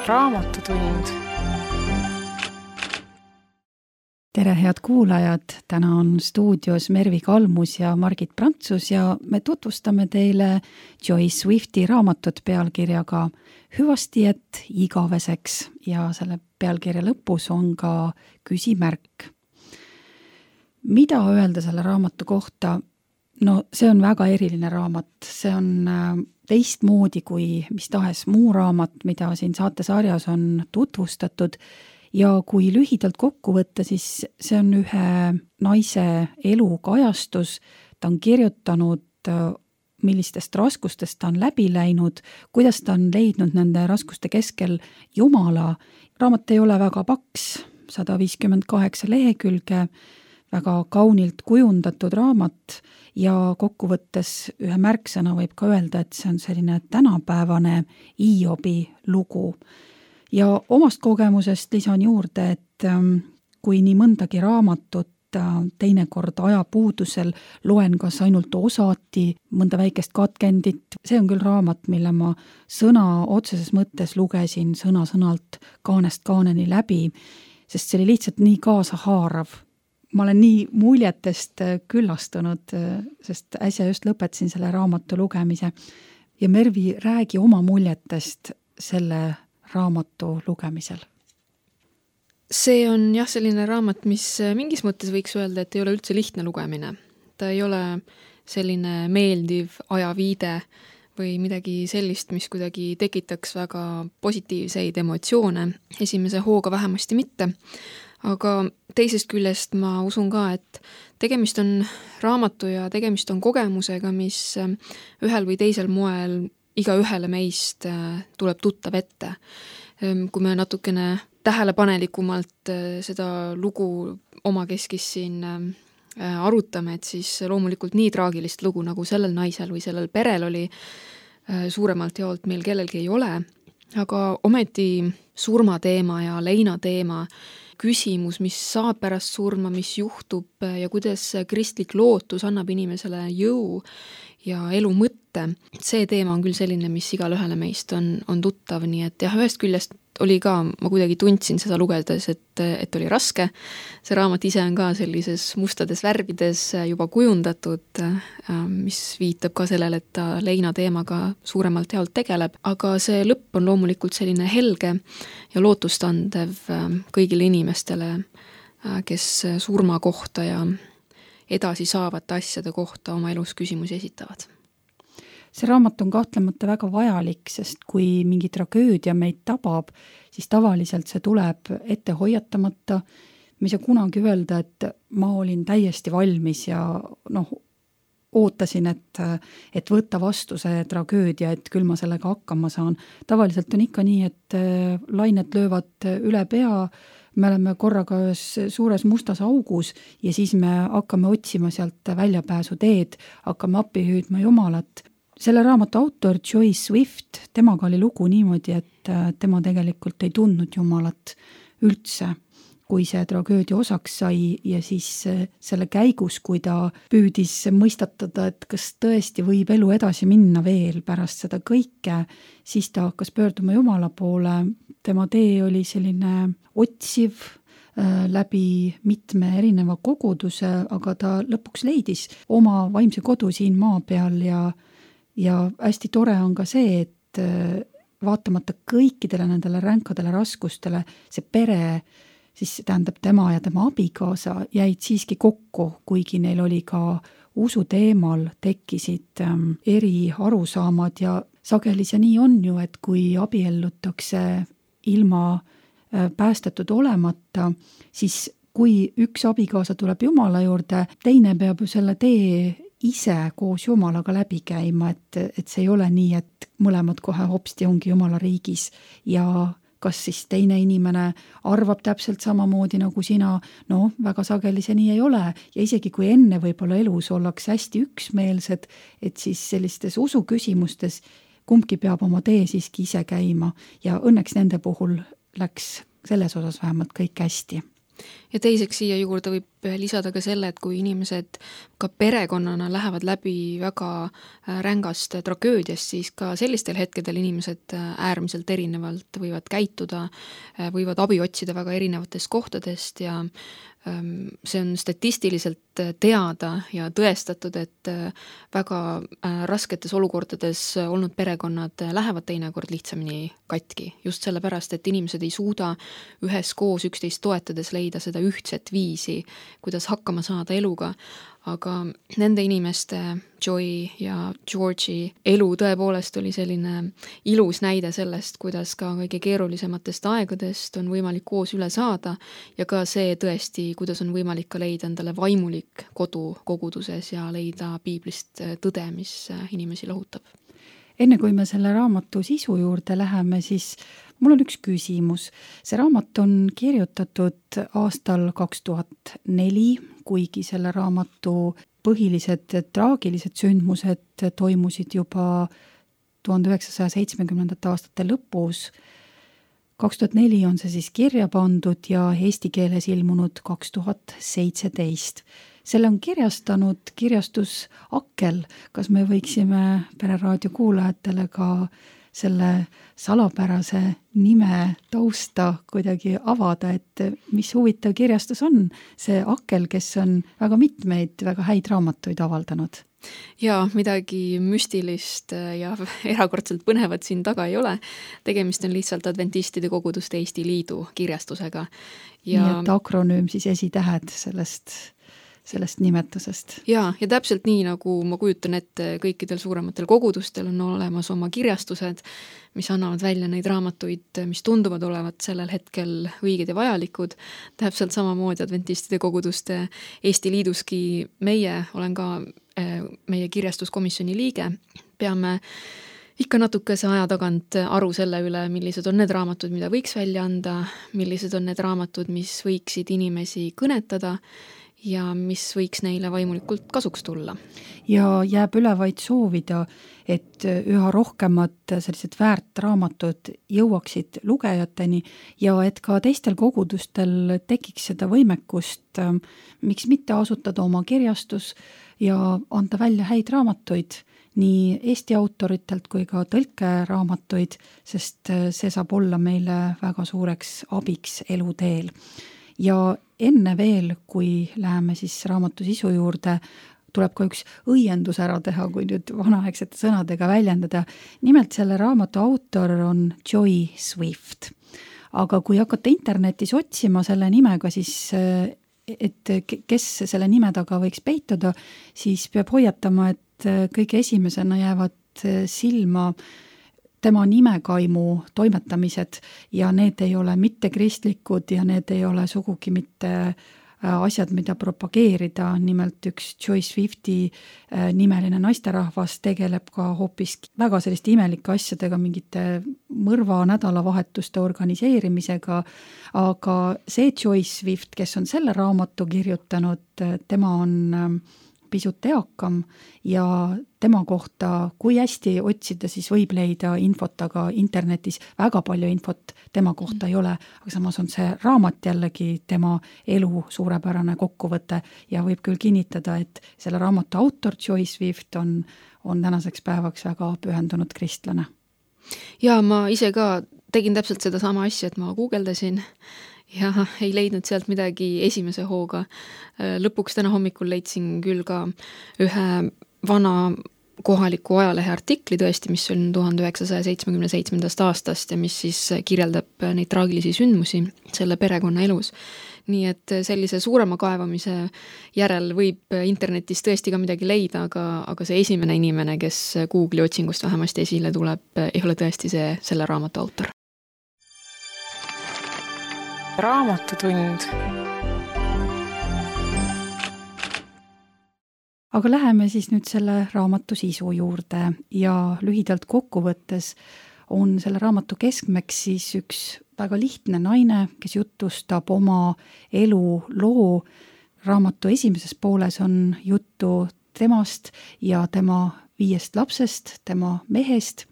Raamatutund. Tere, head kuulajad! Täna on stuudios Mervi Kalmus ja Margit Prantsus ja me tutvustame teile Joyce Swifti raamatut pealkirjaga Hüvastijätt igaveseks ja selle pealkirja lõpus on ka küsimärk. Mida öelda selle raamatu kohta? No see on väga eriline raamat, see on teistmoodi kui mis tahes muu raamat, mida siin saatesarjas on tutvustatud ja kui lühidalt kokku võtta, siis see on ühe naise elu kajastus, ta on kirjutanud, millistest raskustest ta on läbi läinud, kuidas ta on leidnud nende raskuste keskel Jumala. Raamat ei ole väga paks, 158 lehekülge, väga kaunilt kujundatud raamat ja kokkuvõttes ühe märksõna võib ka öelda, et see on selline tänapäevane Hiobi lugu. Ja omast kogemusest lisan juurde, et kui nii mõndagi raamatut teinekord ajapuudusel loen kas ainult osati, mõnda väikest katkendit, see on küll raamat, mille ma sõna otseses mõttes lugesin sõna-sõnalt kaanest kaaneni läbi, sest see oli lihtsalt nii kaasahaarav. Ma olen nii muljetest küllastunud, sest äsja just lõpetasin selle raamatu lugemise. Ja Mervi, räägi oma muljetest selle raamatu lugemisel. See on jah selline raamat, mis mingis mõttes võiks öelda, et ei ole üldse lihtne lugemine. Ta ei ole selline meeldiv ajaviide või midagi sellist, mis kuidagi tekitaks väga positiivseid emotsioone. Esimese hooga vähemasti mitte. Aga teisest küljest ma usun ka, et tegemist on raamatu ja tegemist on kogemusega, mis ühel või teisel moel iga ühele meist tuleb tuttav ette. Kui me natukene tähelepanelikumalt seda lugu omakeskis siin arutame, et siis loomulikult nii traagilist lugu, nagu sellel naisel või sellel perel oli, suuremalt jaolt meil kellelgi ei ole, aga ometi surmateema ja leinateema küsimus, mis saab pärast surma, mis juhtub ja kuidas kristlik lootus annab inimesele jõu ja elu mõtte. See teema on küll selline, mis igal ühele meist on tuttav, nii et jah, ühest küljest oli ka, ma kuidagi tundsin seda lugedes, et oli raske. See raamat ise on ka sellises mustades värvides juba kujundatud, mis viitab ka sellele, et ta leina teemaga suuremalt jaolt tegeleb, aga see lõpp on loomulikult selline helge ja lootustandev kõigile inimestele, kes surma kohta ja edasi saavate asjade kohta oma elus küsimusi esitavad. See raamat on kahtlemata väga vajalik, sest kui mingi tragöödia meid tabab, siis tavaliselt see tuleb ette hoiatamata. Ma ei saa kunagi öelda, et ma olin täiesti valmis ja ootasin, et võtta vastu see tragöödia, et küll ma sellega hakkama saan. Tavaliselt on ikka nii, et lained löövad üle pea, me oleme korraga suures mustas augus ja siis me hakkame otsima sealt väljapääsu teed, hakkame appi hüüdma Jumalat. Selle raamatu autor Joyce Swift, temaga oli lugu niimoodi, et tema tegelikult ei tundnud Jumalat üldse, kui see tragöödia osaks sai ja siis selle käigus, kui ta püüdis mõistatada, et kas tõesti võib elu edasi minna veel pärast seda kõike, siis ta hakkas pöörduma Jumala poole. Tema tee oli selline otsiv läbi mitme erineva koguduse, aga ta lõpuks leidis oma vaimse kodu siin maa peal ja hästi tore on ka see, et vaatamata kõikidele nendele ränkadele raskustele, see pere, siis tähendab tema ja tema abikaasa jäid siiski kokku, kuigi neil oli ka usu teemal tekkisid eri arusaamad ja sageli see nii on ju, et kui abiellutakse ilma päästetud olemata, siis kui üks abikaasa tuleb Jumala juurde, teine peab ju selle tee ise koos Jumalaga läbi käima, et see ei ole nii, et mõlemad kohe hopsti ongi Jumala riigis ja kas siis teine inimene arvab täpselt samamoodi nagu sina, väga sageli see nii ei ole ja isegi kui enne võib-olla elus ollakse hästi üksmeelsed, et siis sellistes usuküsimustes kumbki peab oma tee siiski ise käima ja õnneks nende puhul läks selles osas vähemalt kõik hästi. Ja teiseks siia juurde võib lisada ka selle, et kui inimesed ka perekonnana lähevad läbi väga rängast tragöödiast, siis ka sellistel hetkedel inimesed äärmiselt erinevalt võivad käituda, võivad abi otsida väga erinevatest kohtadest ja see on statistiliselt teada ja tõestatud, et väga rasketes olukordades olnud perekonnad lähevad teinekord lihtsamini katki. Just sellepärast, et inimesed ei suuda üheskoos üksteist toetades leida seda ühtset viisi, kuidas hakkama saada eluga. Aga nende inimeste, Joy ja George'i elu tõepoolest oli selline ilus näide sellest, kuidas ka kõige keerulisematest aegadest on võimalik koos üle saada ja ka see tõesti, kuidas on võimalik ka leida endale vaimulik kodu koguduses ja leida piiblist tõde, mis inimesi lohutab. Enne kui me selle raamatu sisu juurde läheme, siis mul on üks küsimus. See raamat on kirjutatud aastal 2004, kuigi selle raamatu põhilised traagilised sündmused toimusid juba 1970. aastate lõpus. 2004 on see siis kirja pandud ja eesti keeles ilmunud 2017. Selle on kirjastanud kirjastus Akkel. Kas me võiksime Pereraadio kuulajatele ka selle salapärase nime tausta kuidagi avada, et mis huvitav kirjastus on see Akkel, kes on väga mitmeid väga häid raamatuid avaldanud? Ja midagi müstilist ja erakordselt põnevat siin taga ei ole. Tegemist on lihtsalt Adventistide Koguduste Eesti Liidu kirjastusega. Ja nii et akronüüm siis esitähed sellest nimetusest. Ja täpselt nii, nagu ma kujutan ette, kõikidel suurematel kogudustel on olemas oma kirjastused, mis annavad välja neid raamatuid, mis tunduvad olevat sellel hetkel õiged ja vajalikud. Täpselt samamoodi Adventistide Koguduste Eesti Liiduski olen ka meie kirjastuskomisjoni liige. Peame ikka natukese aja tagant aru selle üle, millised on need raamatud, mida võiks välja anda, millised on need raamatud, mis võiksid inimesi kõnetada ja mis võiks neile vaimulikult kasuks tulla. Ja jääb üle vaid soovida, et üha rohkemad sellised väärt raamatud jõuaksid lugejateni ja et ka teistel kogudustel tekiks seda võimekust, miks mitte asutada oma kirjastus ja anda välja häid raamatuid, nii Eesti autoritelt kui ka tõlkeraamatuid, sest see saab olla meile väga suureks abiks eluteel. Ja enne veel, kui läheme siis raamatu sisu juurde, tuleb ka üks õiendus ära teha, kui nüüd vanaaegsete sõnadega väljendada. Nimelt selle raamatu autor on Joy Swift. Aga kui hakata internetis otsima selle nimega, siis et kes selle nime taga võiks peituda, siis peab hoiatama, et kõige esimesena jäävad silma tema nimekaimu toimetamised ja need ei ole mitte kristlikud ja need ei ole sugugi mitte asjad, mida propageerida. Nimelt üks Joy Swifti nimeline naisterahvas tegeleb ka hoopis väga selliste imelike asjadega, mingite mõrva nädalavahetuste organiseerimisega, aga see Joy Swift, kes on selle raamatu kirjutanud, tema on pisut eakam ja tema kohta, kui hästi otsida, siis võib leida infot, aga internetis väga palju infot tema kohta ei ole, aga samas on see raamat jällegi tema elu suurepärane kokkuvõte ja võib küll kinnitada, et selle raamatu autor Joy Swift on tänaseks päevaks väga pühendunud kristlane. Ja ma ise ka tegin täpselt seda sama asja, et ma guugeldasin ja ei leidnud sealt midagi esimese hooga. Lõpuks täna hommikul leidsin küll ka ühe vana kohaliku ajalehe artikli tõesti, mis on 1977. aastast ja mis siis kirjeldab neid traagilisi sündmusi selle perekonna elus. Nii et sellise suurema kaevamise järel võib internetis tõesti ka midagi leida, aga see esimene inimene, kes Google'i otsingust vähemasti esile tuleb, ei ole tõesti selle raamatu autor. Raamatutund. Aga läheme siis nüüd selle raamatu sisu juurde ja lühidalt kokkuvõttes on selle raamatu keskmeks siis üks väga lihtne naine, kes jutustab oma eluloo. Raamatu esimeses pooles on juttu temast ja tema 5 lapsest, tema mehest.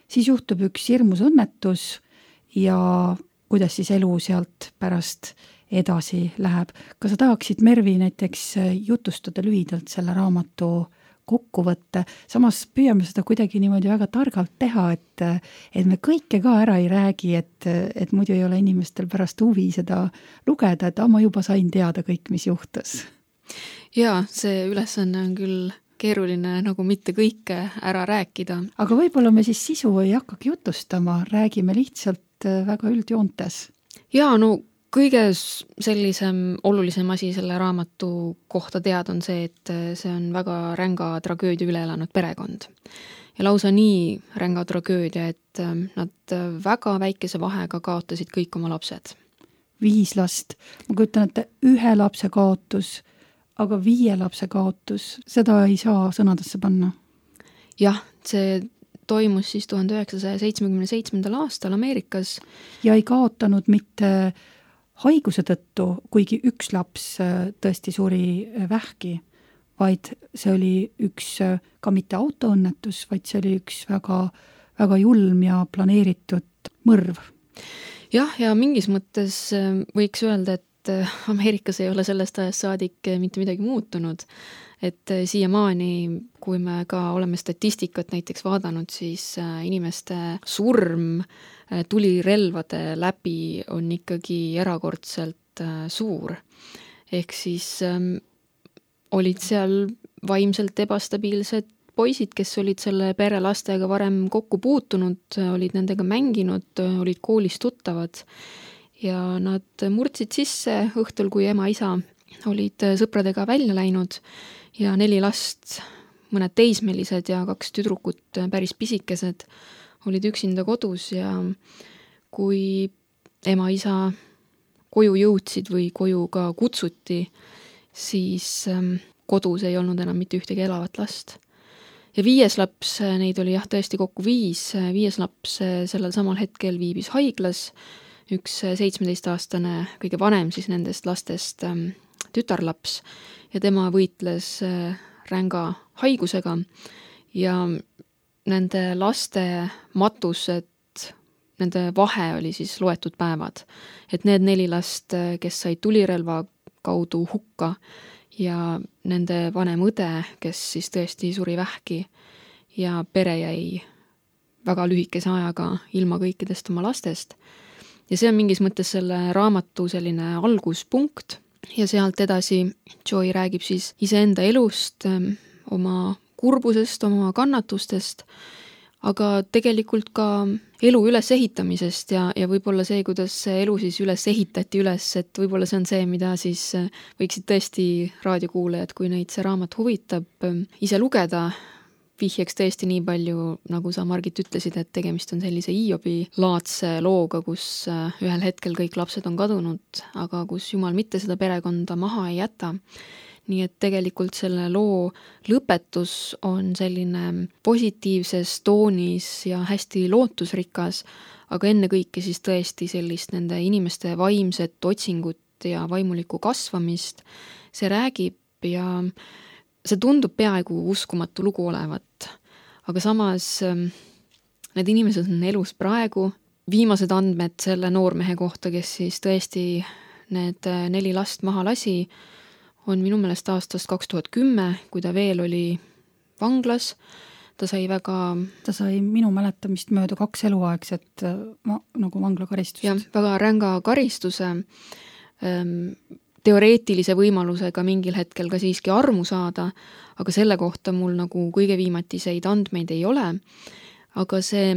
Siis juhtub üks hirmus õnnetus ja kuidas siis elu sealt pärast edasi läheb. Kas sa tahaksid, Mervi, näiteks jutustada lühidalt selle raamatu kokkuvõtte, samas püüame seda kuidagi niimoodi väga targalt teha, et me kõike ka ära ei räägi, et muidu ei ole inimestel pärast huvi seda lugeda, et ma juba sain teada kõik, mis juhtus. Jaa, see ülesanne on küll keeruline nagu mitte kõike ära rääkida. Aga võib-olla me siis sisu ei hakkagi jutustama, räägime lihtsalt väga üldjoontes. Jaa, no kõige sellisem olulisem asi selle raamatu kohta teada on see, et see on väga ränga tragöödia üle elanud perekond. Ja lausa nii ränga tragöödia, et nad väga väikese vahega kaotasid kõik oma lapsed. 5 last. Ma kujutan, et 1 lapse kaotus, aga 5 lapse kaotus, seda ei saa sõnadesse panna. Jah, see toimus siis 1977. aastal Ameerikas. Ja ei kaotanud mitte haiguse tõttu, kuigi 1 laps tõesti suri vähki, vaid see oli üks ka mitte autoõnnetus, vaid see oli üks väga, väga julm ja planeeritud mõrv. Jah, ja mingis mõttes võiks öelda, et Ameerikas ei ole sellest ajast saadik mitte midagi muutunud. Et siiamaani, kui me ka oleme statistikat näiteks vaadanud, siis inimeste surm tulirelvade läbi on ikkagi erakordselt suur. Ehk siis olid seal vaimselt ebastabiilsed poisid, kes olid selle pere lastega varem kokku puutunud, olid nendega mänginud, olid koolis tuttavad ja nad murdsid sisse õhtul, kui ema-isa olid sõpradega välja läinud ja 4 last, mõned teismelised ja 2 tüdrukut päris pisikesed olid üksinda kodus ja kui ema-isa koju jõudsid või koju ka kutsuti, siis kodus ei olnud enam mitte ühtegi elavat last. Ja 5 laps, neid oli jah tõesti kokku 5, 5 laps sellel samal hetkel viibis haiglas, üks 17-aastane, kõige vanem siis nendest lastest tütarlaps ja tema võitles ränga haigusega ja nende laste matused, nende vahe oli siis loetud päevad. Et need 4 last, kes said tulirelva kaudu hukka ja nende vanem õde, kes siis tõesti suri vähki ja pere jäi väga lühikese ajaga ilma kõikidest oma lastest. Ja see on mingis mõttes selle raamatu selline alguspunkt ja sealt edasi Joy räägib siis iseenda elust, oma kurbusest, oma kannatustest, aga tegelikult ka elu ülesehitamisest ja võib-olla see, kuidas see elu siis üles ehitati üles, et võib-olla see on see, mida siis võiksid tõesti raadiokuulajad, kui neid see raamat huvitab, ise lugeda. Vihjeks tõesti nii palju, nagu sa, Margit, ütlesid, et tegemist on sellise Hiobi laadse looga, kus ühel hetkel kõik lapsed on kadunud, aga kus Jumal mitte seda perekonda maha ei jäta. Nii et tegelikult selle loo lõpetus on selline positiivses toonis ja hästi lootusrikas, aga enne kõike siis tõesti sellist nende inimeste vaimset otsingut ja vaimulikku kasvamist. See räägib ja see tundub peaaegu uskumatu lugu olevat, aga samas need inimesed on elus praegu. Viimased andmed selle noormehe kohta, kes siis tõesti need 4 last maha lasi, on minu meelest aastast 2010, kui ta veel oli vanglas. Ta sai minu mäletamist mööda 2 eluaegset nagu vanglakaristust. Jah, väga ränga karistuse, teoreetilise võimalusega mingil hetkel ka siiski armu saada, aga selle kohta mul nagu kõige viimatiseid andmeid ei ole. Aga see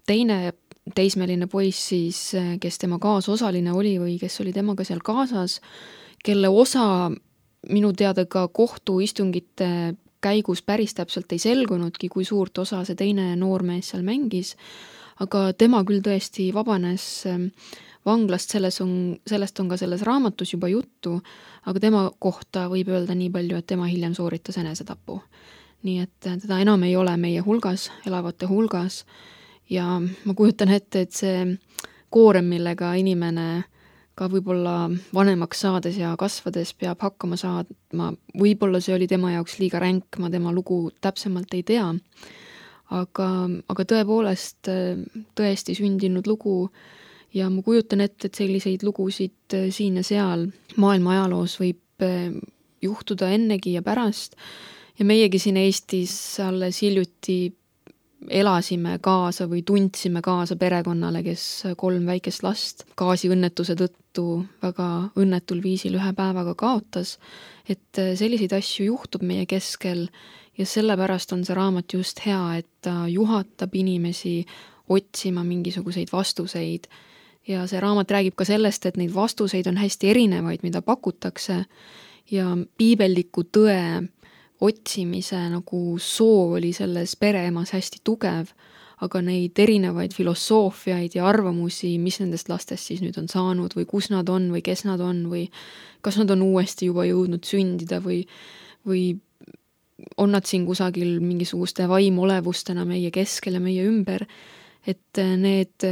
teine teismeline poiss siis, kes tema kaasosaline oli või kes oli temaga seal kaasas, kelle osa minu teada ka kohtuistungite käigus päris täpselt ei selgunudki, kui suurt osa see teine noormees seal mängis, aga tema küll tõesti vabanes vanglast, sellest on ka selles raamatus juba juttu, aga tema kohta võib öelda nii palju, et tema hiljem sooritas enesetapu. Nii et teda enam ei ole meie hulgas, elavate hulgas ja ma kujutan ette, et see koorem, millega inimene ka võib-olla vanemaks saades ja kasvades peab hakkama saadma, võib-olla see oli tema jaoks liiga ränk, ma tema lugu täpsemalt ei tea, aga tõepoolest tõesti sündinud lugu ja ma kujutan ette, et selliseid lugusid siin ja seal maailma ajaloos võib juhtuda ennegi ja pärast ja meiegi siin Eestis alles hiljuti elasime kaasa või tundsime kaasa perekonnale, kes 3 väikest last gaasiõnnetuse tõttu väga õnnetul viisil 1 päevaga kaotas, et selliseid asju juhtub meie keskel ja sellepärast on see raamat just hea, et ta juhatab inimesi otsima mingisuguseid vastuseid ja see raamat räägib ka sellest, et neid vastuseid on hästi erinevaid, mida pakutakse ja piibelliku tõe otsimise nagu soov oli selles pereemas hästi tugev, aga neid erinevaid filosoofiaid ja arvamusi, mis nendest lastest siis nüüd on saanud või kus nad on või kes nad on või kas nad on uuesti juba jõudnud sündida või on nad siin kusagil mingisuguste vaimolevustena meie keskel ja meie ümber, et need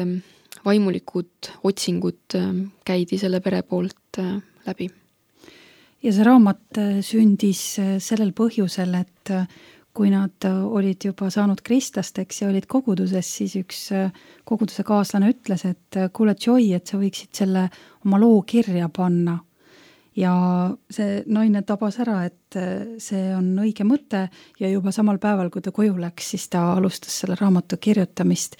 vaimulikud otsingud käidi selle pere poolt läbi. Ja see raamat sündis sellel põhjusel, et kui nad olid juba saanud kristlasteks ja olid koguduses, siis üks koguduse kaaslane ütles, et kuule Joy, et sa võiksid selle oma loo kirja panna. Ja see naine tabas ära, et see on õige mõte ja juba samal päeval, kui ta koju läks, siis ta alustas selle raamatu kirjutamist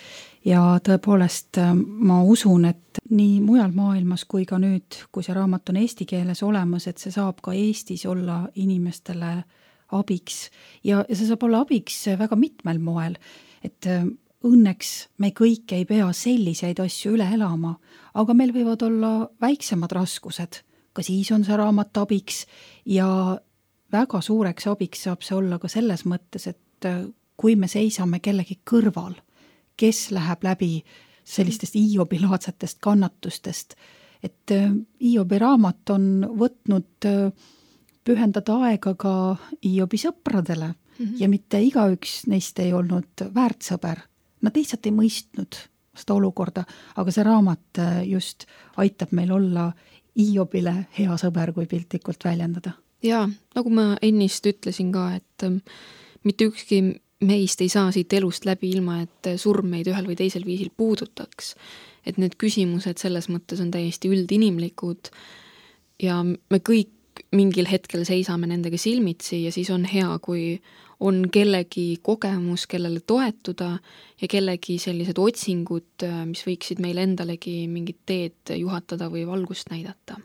ja tõepoolest ma usun, et nii mujal maailmas kui ka nüüd, kui see raamat on eesti keeles olemas, et see saab ka Eestis olla inimestele abiks ja see saab olla abiks väga mitmel moel, et õnneks me kõik ei pea selliseid asju üle elama, aga meil võivad olla väiksemad raskused, ka siis on see raamat abiks ja väga suureks abiks saab see olla ka selles mõttes, et kui me seisame kellegi kõrval, kes läheb läbi sellistest Hiobi-laadsetest kannatustest, et Hiobi raamat on võtnud pühendada aega ka Hiobi sõpradele ja mitte igaüks neist ei olnud väärt sõber. Nad lihtsalt ei mõistnud seda olukorda, aga see raamat just aitab meil olla Hiobile hea sõber, kui piltlikult väljendada. Jaa, nagu ma ennist ütlesin ka, et mitte ükski meist ei saa siit elust läbi ilma, et surm meid ühel või teisel viisil puudutaks. Et need küsimused selles mõttes on täiesti üldinimlikud ja me kõik mingil hetkel seisame nendega silmitsi ja siis on hea, kui on kellegi kogemus, kellele toetuda ja kellegi sellised otsingud, mis võiksid meil endalegi mingit teed juhatada või valgust näidata.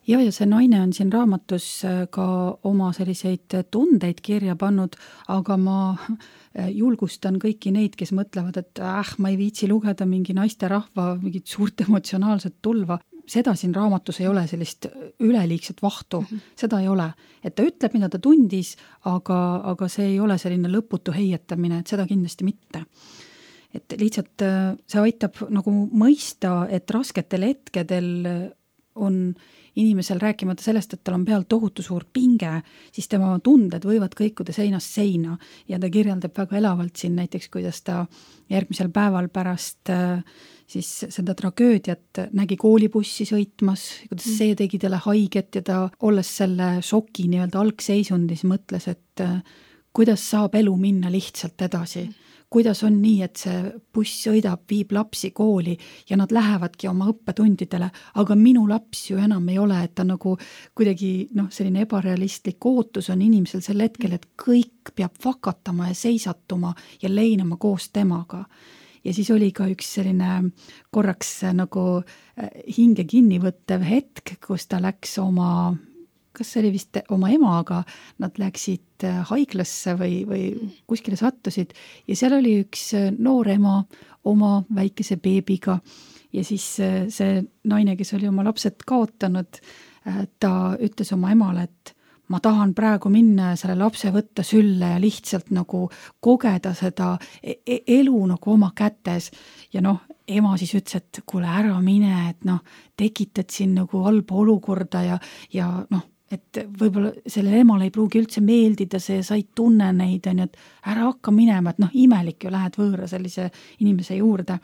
Ja see naine on siin raamatus ka oma selliseid tundeid kirja pannud, aga ma julgustan kõiki neid, kes mõtlevad, et ma ei viitsi lugeda mingi naisterahva mingit suurt emotsionaalset tulva. Seda siin raamatus ei ole sellist üleliigset vahtu, seda ei ole. Et ta ütleb, mida ta tundis, aga see ei ole selline lõputu heietamine, et seda kindlasti mitte. Et lihtsalt see aitab nagu mõista, et rasketel hetkedel on inimesel rääkimata sellest, et tal on peal tohutu suur pinge, siis tema tunded võivad kõikuda seinast seina ja ta kirjeldab väga elavalt siin näiteks, kuidas ta järgmisel päeval pärast siis seda tragöödiat nägi koolibussi sõitmas, kuidas see tegi talle haiget ja ta olles selle šoki nii-öelda algseisundis mõtles, et kuidas saab elu minna lihtsalt edasi. Kuidas on nii, et see buss sõidab, viib lapsi kooli ja nad lähevadki oma õppetundidele, aga minu laps ju enam ei ole, et ta nagu kuidagi selline ebarealistlik ootus on inimesel sel hetkel, et kõik peab vakatama ja seisatuma ja leinama koos temaga. Ja siis oli ka üks selline korraks nagu hinge kinnivõttev hetk, kus ta läks kas see oli vist oma emaga, nad läksid haiglasse või kuskile sattusid ja seal oli üks noor ema oma väikese beebiga ja siis see naine, kes oli oma lapsed kaotanud, ta ütles oma emale, et ma tahan praegu minna ja selle lapse võtta sülle ja lihtsalt nagu kogeda seda elu nagu oma kätes ja ema siis ütles, et kuule ära mine, et tekitad siin nagu halba olukorda ja et võib-olla sellele emale ei pruugi üldse meeldida see, sa ei tunne neid, et ära hakka minema, et imelik ju lähed võõra sellise inimese juurde.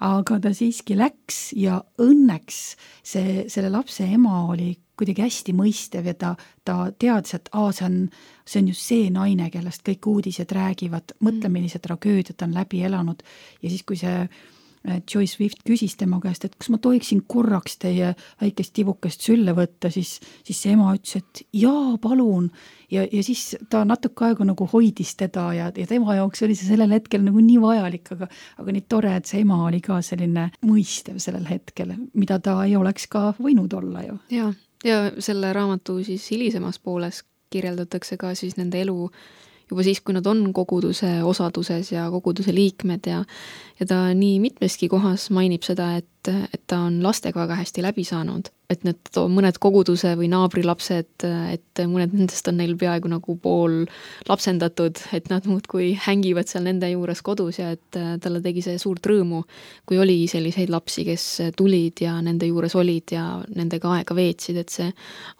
Aga ta siiski läks ja õnneks selle lapse ema oli kuidagi hästi mõistev ja ta teadis, et see on just see naine, kellest kõik uudised räägivad, mõtle, millise tragöödiat on läbi elanud ja siis, kui see Joyce Swift küsis tema käest, et kas ma tohiksin korraks teie väikest tibukest sülle võtta, siis see ema ütles, et jaa, palun. Ja siis ta natuke aega nagu hoidis teda ja tema jaoks oli see sellel hetkel nagu nii vajalik, aga nii tore, et see ema oli ka selline mõistev sellel hetkel, mida ta ei oleks ka võinud olla ju. Ja selle raamatu siis hilisemas pooles kirjeldatakse ka siis nende elu juba siis, kui nad on koguduse osaduses ja koguduse liikmed ja ta nii mitmeski kohas mainib seda, et ta on lastega väga hästi läbi saanud, et need mõned koguduse või naabrilapsed, et mõned nendest on neil peaaegu nagu pool lapsendatud, et nad muudkui hängivad seal nende juures kodus ja et talle tegi see suurt rõõmu, kui oli selliseid lapsi, kes tulid ja nende juures olid ja nendega aega veetsid, et see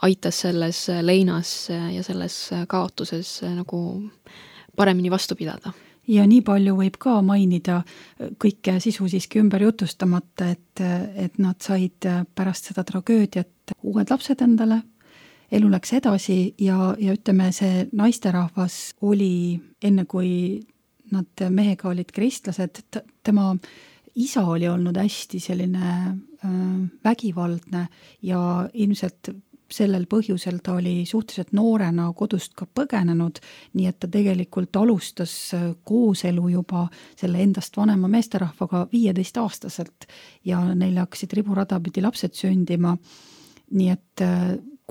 aitas selles leinas ja selles kaotuses nagu paremini vastu pidada. Ja nii palju võib ka mainida kõike sisu siiski ümber jutustamata, et nad said pärast seda tragöödiat uued lapsed endale, elu läks edasi ja ütleme, see naisterahvas oli, enne kui nad mehega olid kristlased, tema isa oli olnud hästi selline vägivaldne ja ilmselt sellel põhjusel ta oli suhteliselt noorena kodust ka põgenenud, nii et ta tegelikult alustas kooselu juba selle endast vanema meesterahvaga 15-aastaselt ja neil hakkasid riburadapidi lapsed sündima. Nii et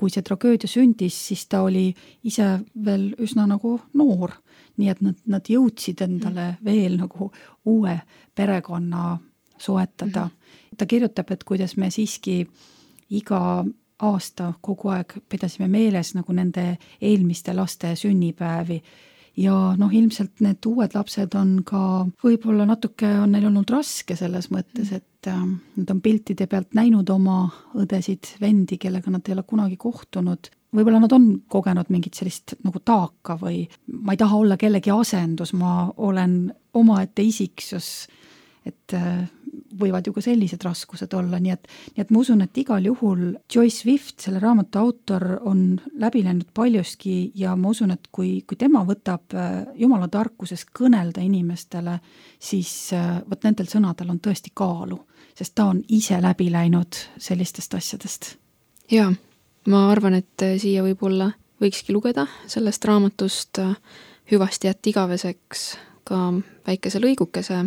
kui see tragöödia sündis, siis ta oli ise veel üsna nagu noor, nii et nad jõudsid endale veel nagu uue perekonna soetada. Ta kirjutab, et kuidas me siiski iga aasta kogu aeg pidasime meeles nagu nende eelmiste laste sünnipäevi ja ilmselt need uued lapsed on ka, võib-olla natuke on neil olnud raske selles mõttes, et nad on piltide pealt näinud oma õdesid, vendi, kellega nad ei ole kunagi kohtunud. Võib-olla nad on kogenud mingit sellist nagu taaka või ma ei taha olla kellegi asendus, ma olen omaette isiksus, et võivad ju ka sellised raskused olla, nii et ma usun, et igal juhul Joyce Swift, selle raamatu autor, on läbi läinud paljuski ja ma usun, et kui tema võtab Jumala tarkuses kõnelda inimestele, siis võt nendel sõnadel on tõesti kaalu, sest ta on ise läbi läinud sellistest asjadest. Jaa, ma arvan, et siia võib-olla võikski lugeda sellest raamatust Hüvasti jätt igaveseks ka väikese lõigukese,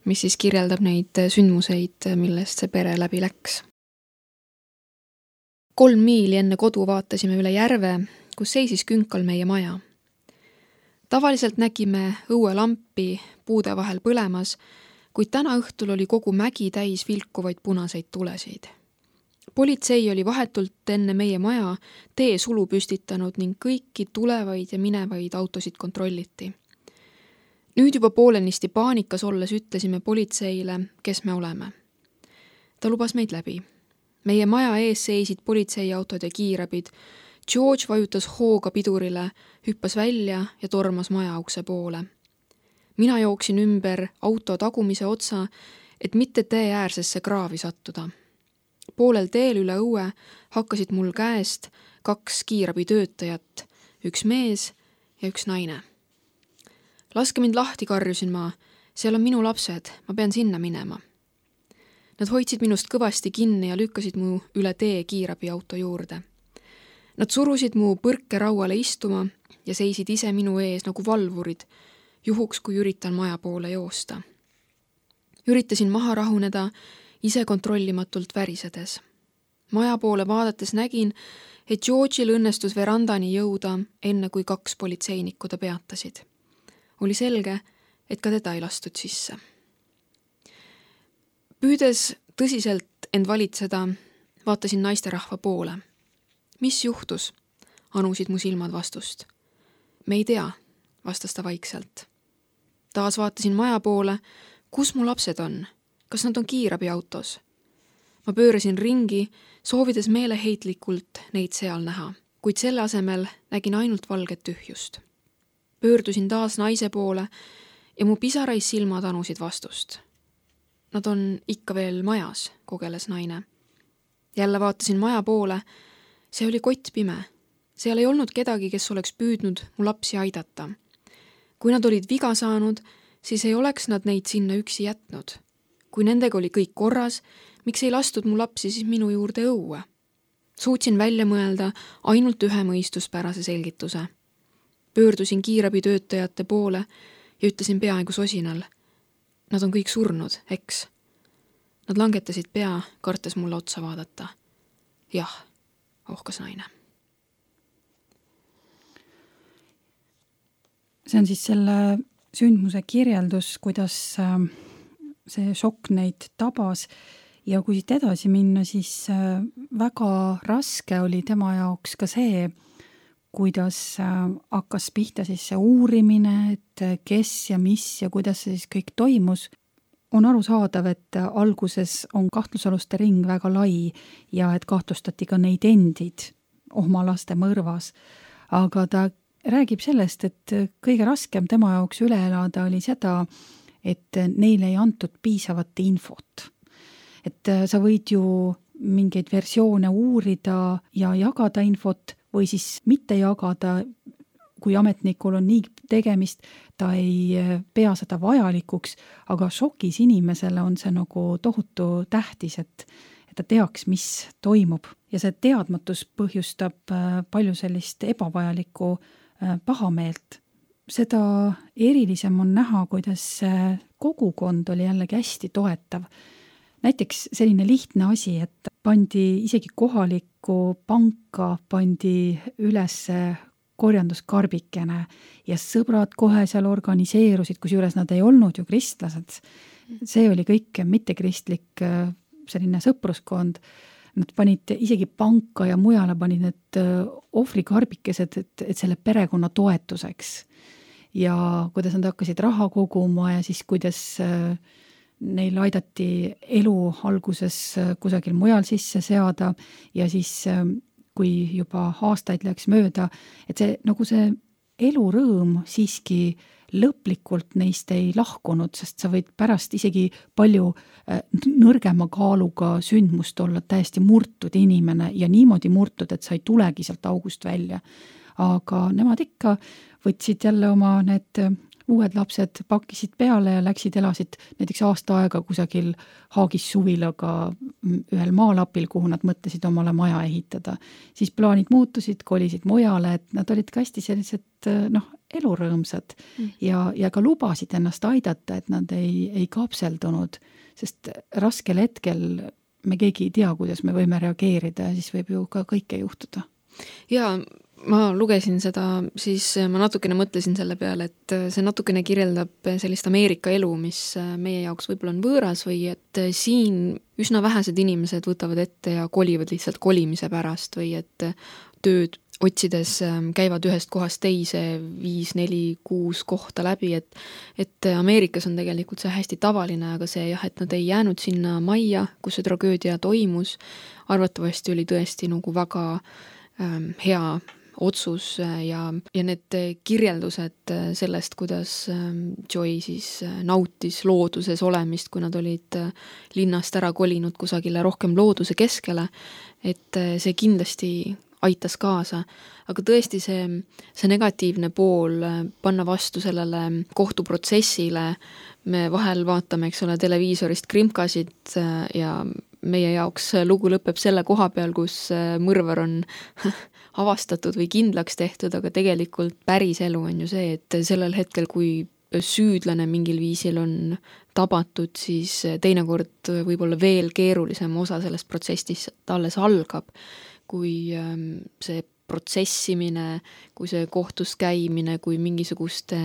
mis siis kirjeldab neid sündmuseid, millest see pere läbi läks. 3 miili enne kodu vaatasime üle järve, kus seisis künkal meie maja. Tavaliselt nägime õuelampi puude vahel põlemas, kuid täna õhtul oli kogu mägi täis vilkuvaid punaseid tulesid. Politsei oli vahetult enne meie maja teesulu püstitanud ning kõiki tulevaid ja minevaid autosid kontrolliti. Nüüd juba poolenisti paanikas olles ütlesime politseile, kes me oleme. Ta lubas meid läbi. Meie maja ees seisid politseiautod ja kiirabid. George vajutas hooga pidurile, hüppas välja ja tormas maja ukse poole. Mina jooksin ümber auto tagumise otsa, et mitte tee äärsesse kraavi sattuda. Poolel teel üle õue hakkasid mul käest 2 kiirabitöötajat, 1 mees ja 1 naine. Laske mind lahti, karjusin ma. Seal on minu lapsed, ma pean sinna minema. Nad hoidsid minust kõvasti kinni ja lükkasid mu üle tee kiirabiauto juurde. Nad surusid mu põrke rauale istuma ja seisid ise minu ees nagu valvurid, juhuks kui üritan maja poole joosta. Üritasin maha rahuneda, ise kontrollimatult värisedes. Maja poole vaadates nägin, et George'il õnnestus verandani jõuda, enne kui 2 politseinikku ta peatasid. Oli selge, et ka teda ei lastud sisse. Püüdes tõsiselt end valitseda, vaatasin naisterahva poole. Mis juhtus? Anusid mu silmad vastust. Me ei tea, vastas ta vaikselt. Taas vaatasin maja poole. Kus mu lapsed on? Kas nad on kiirabiautos? Ma pöörasin ringi, soovides meeleheitlikult neid seal näha, kuid selle asemel nägin ainult valget tühjust. Pöördusin taas naise poole ja mu pisarais silmad anusid vastust. Nad on ikka veel majas, kogeles naine. Jälle vaatasin maja poole. See oli kottpime. Seal ei olnud kedagi, kes oleks püüdnud mu lapsi aidata. Kui nad olid viga saanud, siis ei oleks nad neid sinna üksi jätnud. Kui nendega oli kõik korras, miks ei lastud mu lapsi siis minu juurde õue? Suutsin välja mõelda ainult ühe mõistuspärase selgituse. Pöördusin kiirabitöötajate poole ja ütlesin peaaegu sosinal. Nad on kõik surnud, eks? Nad langetasid pea, kartes mulle otsa vaadata. Jah, ohkas naine. See on siis selle sündmuse kirjeldus, kuidas see šokk neid tabas ja kui siit edasi minna, siis väga raske oli tema jaoks ka see, kuidas hakkas pihta siis see uurimine, et kes ja mis ja kuidas see siis kõik toimus. On arusaadav, et alguses on kahtlusaluste ring väga lai ja et kahtlustati ka neid endid oma laste mõrvas, aga ta räägib sellest, et kõige raskem tema jaoks üle elada oli seda, et neile ei antud piisavat infot. Et sa võid ju mingeid versioone uurida ja jagada infot või siis mitte jagada, kui ametnikul on nii tegemist, ta ei pea seda vajalikuks, aga šokis inimesele on see nagu tohutu tähtis, et ta teaks, mis toimub. Ja see teadmatus põhjustab palju sellist ebavajalikku pahameelt. Seda erilisem on näha, kuidas kogukond oli jällegi hästi toetav. Näiteks selline lihtne asi, et pandi isegi kohalikku panka, pandi üles korjanduskarbikene ja sõbrad kohe seal organiseerusid, kusjuures nad ei olnud ju kristlased. See oli kõik mittekristlik selline sõpruskond. Nad panid isegi panka ja mujale panid need ohvrikarbikesed, et selle perekonna toetuseks. Ja kuidas nad hakkasid raha koguma ja siis kuidas neil aidati elu alguses kusagil mujal sisse seada ja siis kui juba aastaid läks mööda, et see elurõõm siiski lõplikult neist ei lahkunud, sest sa võid pärast isegi palju nõrgema kaaluga sündmust olla täiesti murtud inimene ja niimoodi murtud, et sa ei tulegi sealt august välja. Aga nemad ikka võtsid jälle oma need uued lapsed, pakkisid peale ja läksid, elasid näiteks aasta aega kusagil Haagis suvilaga ühel maalapil, kuhu nad mõtlesid omale maja ehitada. Siis plaanid muutusid, kolisid mujale, et nad olid ka hästi sellised elurõõmsad ja ka lubasid ennast aidata, et nad ei kapseldunud, sest raskel hetkel me keegi ei tea, kuidas me võime reageerida ja siis võib ju ka kõike juhtuda. Jaa, ma lugesin seda, siis ma natukene mõtlesin selle peale, et see natukene kirjeldab sellist Ameerika elu, mis meie jaoks võib-olla on võõras või et siin üsna vähesed inimesed võtavad ette ja kolivad lihtsalt kolimise pärast või et tööd otsides käivad ühest kohast teise 5, 4, 6 kohta läbi, et Ameerikas on tegelikult see hästi tavaline, aga see jah, et nad ei jäänud sinna majja, kus see tragöödia toimus, arvatavasti oli tõesti nagu väga hea otsus ja need kirjeldused sellest, kuidas Joy siis nautis looduses olemist, kui nad olid linnast ära kolinud kusagile rohkem looduse keskele, et see kindlasti aitas kaasa, aga tõesti see negatiivne pool panna vastu sellele kohtuprotsessile, me vahel vaatame, eks ole, televiisorist krimkasid ja meie jaoks lugu lõpeb selle koha peal, kus mõrvar on avastatud või kindlaks tehtud, aga tegelikult päris elu on ju see, et sellel hetkel, kui süüdlane mingil viisil on tabatud, siis teinekord võib-olla veel keerulisem osa sellest protsessist alles algab, kui see protsessimine, kui see kohtus käimine, kui mingisuguste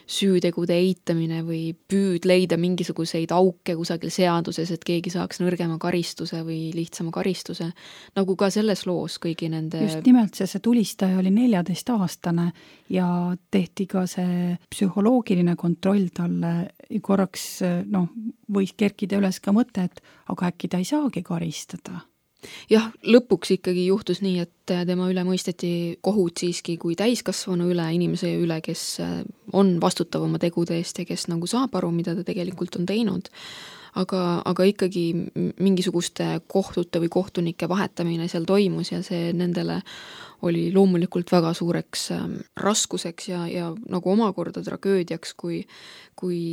süütegude eitamine või püüd leida mingisuguseid auke kusagil seaduses, et keegi saaks nõrgema karistuse või lihtsama karistuse, nagu ka selles loos kõigi nende... Just nimelt see tulistaja oli 14-aastane ja tehti ka see psühholoogiline kontroll talle korraks, võis kerkida üles ka mõte, et aga äkki ta ei saagi karistada. Jah, lõpuks ikkagi juhtus nii, et tema üle mõisteti kohut siiski kui täiskasvanu üle, inimese üle, kes on vastutav oma tegude eest ja kes nagu saab aru, mida ta tegelikult on teinud. aga ikkagi mingisuguste kohtute või kohtunike vahetamine seal toimus ja see nendele oli loomulikult väga suureks raskuseks ja nagu omakorda tragöödiaks, kui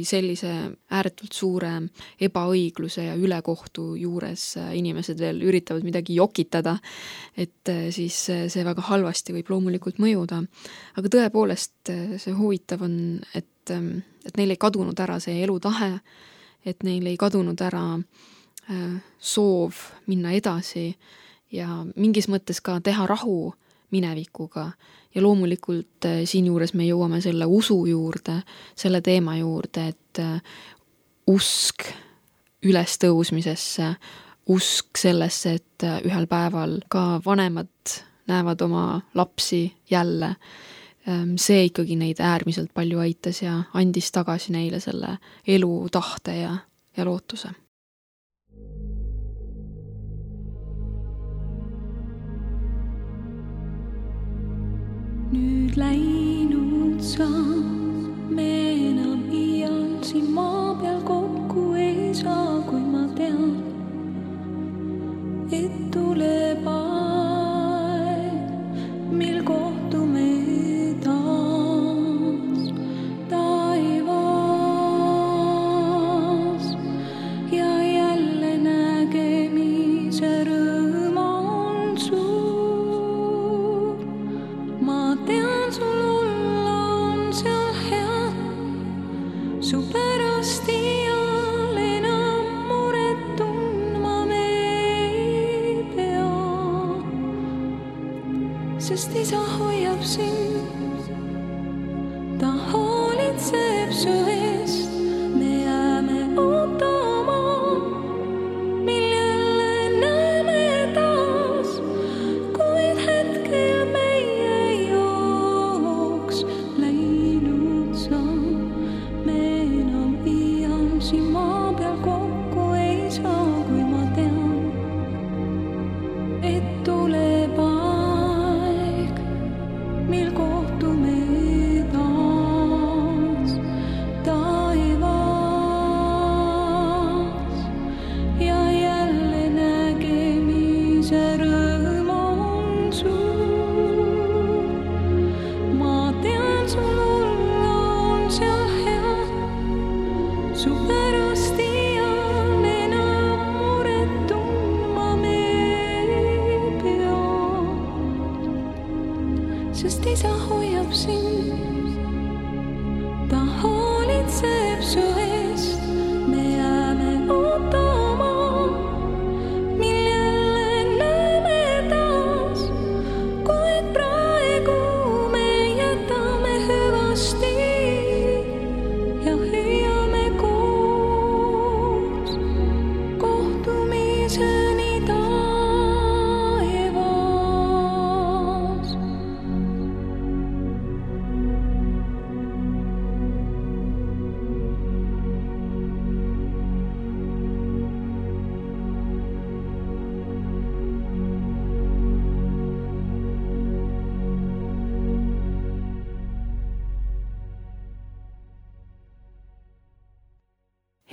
sellise ääretult suure ebaõigluse ja ülekohtu juures inimesed veel üritavad midagi jokitada, et siis see väga halvasti võib loomulikult mõjuda. Aga tõepoolest see huvitav on, et neil ei kadunud ära see elutahe, et neil ei kadunud ära soov minna edasi ja mingis mõttes ka teha rahu minevikuga ja loomulikult siin juures me jõuame selle usu juurde, selle teema juurde, et usk ülestõusmisesse, usk sellesse, et ühel päeval ka vanemad näevad oma lapsi jälle, see ikkagi neid äärmiselt palju aitas ja andis tagasi neile selle elu, tahte ja lootuse. Nüüd läinud sa, me enam iial siin maa peal kokku ei saa, kui ma tean, et tuleb aeg, mil kohtume taas taevas ja jälle nägemise rõõm on suur. Ma tean, sul olla on seal hea, su pärast iial enam muret tundma me ei pea, sest isa hoiab sind, ta hoolitseb su eest, me jääme ootama, mil jälle näeme taas, kuid hetkel meie jooks läinud sa, me enam iial siin maa peal kokku ei saa, kui ma tean, et tuleb aeg, mil kohtume taas taevas ja jälle nägemise rõõm on suur. Ma tean, sul olla on seal hea, su pärast iial enam muret tundma me ei pea, sest isa hoiab sind, ta hoolitseb su eest, me jääme ootama, mil jälle näeme taas, kuid praegu me jätame hüvasti ja hüüame koos kohtumiseni taevas.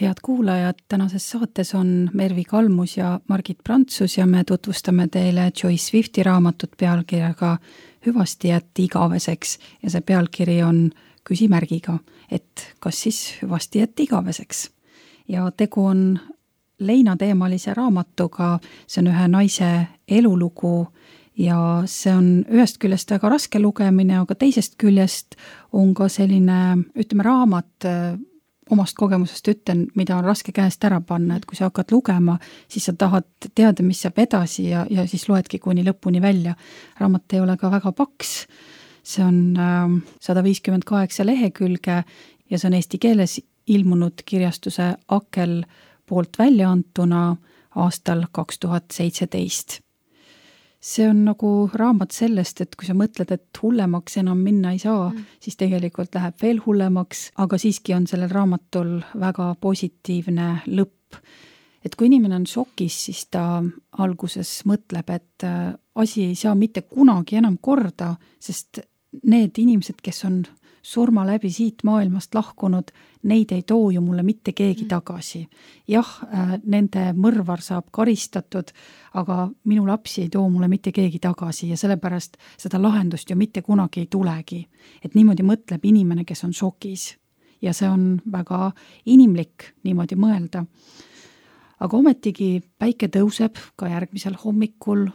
Head kuulajad, tänases saates on Mervi Kalmus ja Margit Prantsus ja me tutvustame teile Joyce Swifti raamatut pealkirjaga Hüvasti jätti igaveseks ja see pealkiri on küsimärgiga, et kas siis hüvasti jätti igaveseks. Ja tegu on leinateemalise raamatuga, see on ühe naise elulugu ja see on ühest küljest väga raske lugemine, aga teisest küljest on ka selline, ütleme, raamat, omast kogemusest ütlen, mida on raske käest ära panna, et kui sa hakkad lugema, siis sa tahad teada, mis saab edasi ja siis loedki kuni lõpuni välja. Raamat ei ole ka väga paks, see on 158 lehekülge ja see on eesti keeles ilmunud kirjastuse Akel poolt välja antuna aastal 2017. See on nagu raamat sellest, et kui sa mõtled, et hullemaks enam minna ei saa, siis tegelikult läheb veel hullemaks, aga siiski on sellel raamatul väga positiivne lõpp. Et kui inimene on šokis, siis ta alguses mõtleb, et asi ei saa mitte kunagi enam korda, sest need inimesed, kes on surma läbi siit maailmast lahkunud, neid ei too ju mulle mitte keegi tagasi. Jah, nende mõrvar saab karistatud, aga minu lapsi ei too mulle mitte keegi tagasi ja sellepärast seda lahendust ju mitte kunagi ei tulegi. Et niimoodi mõtleb inimene, kes on šokis. Ja see on väga inimlik niimoodi mõelda. Aga ometigi päike tõuseb ka järgmisel hommikul,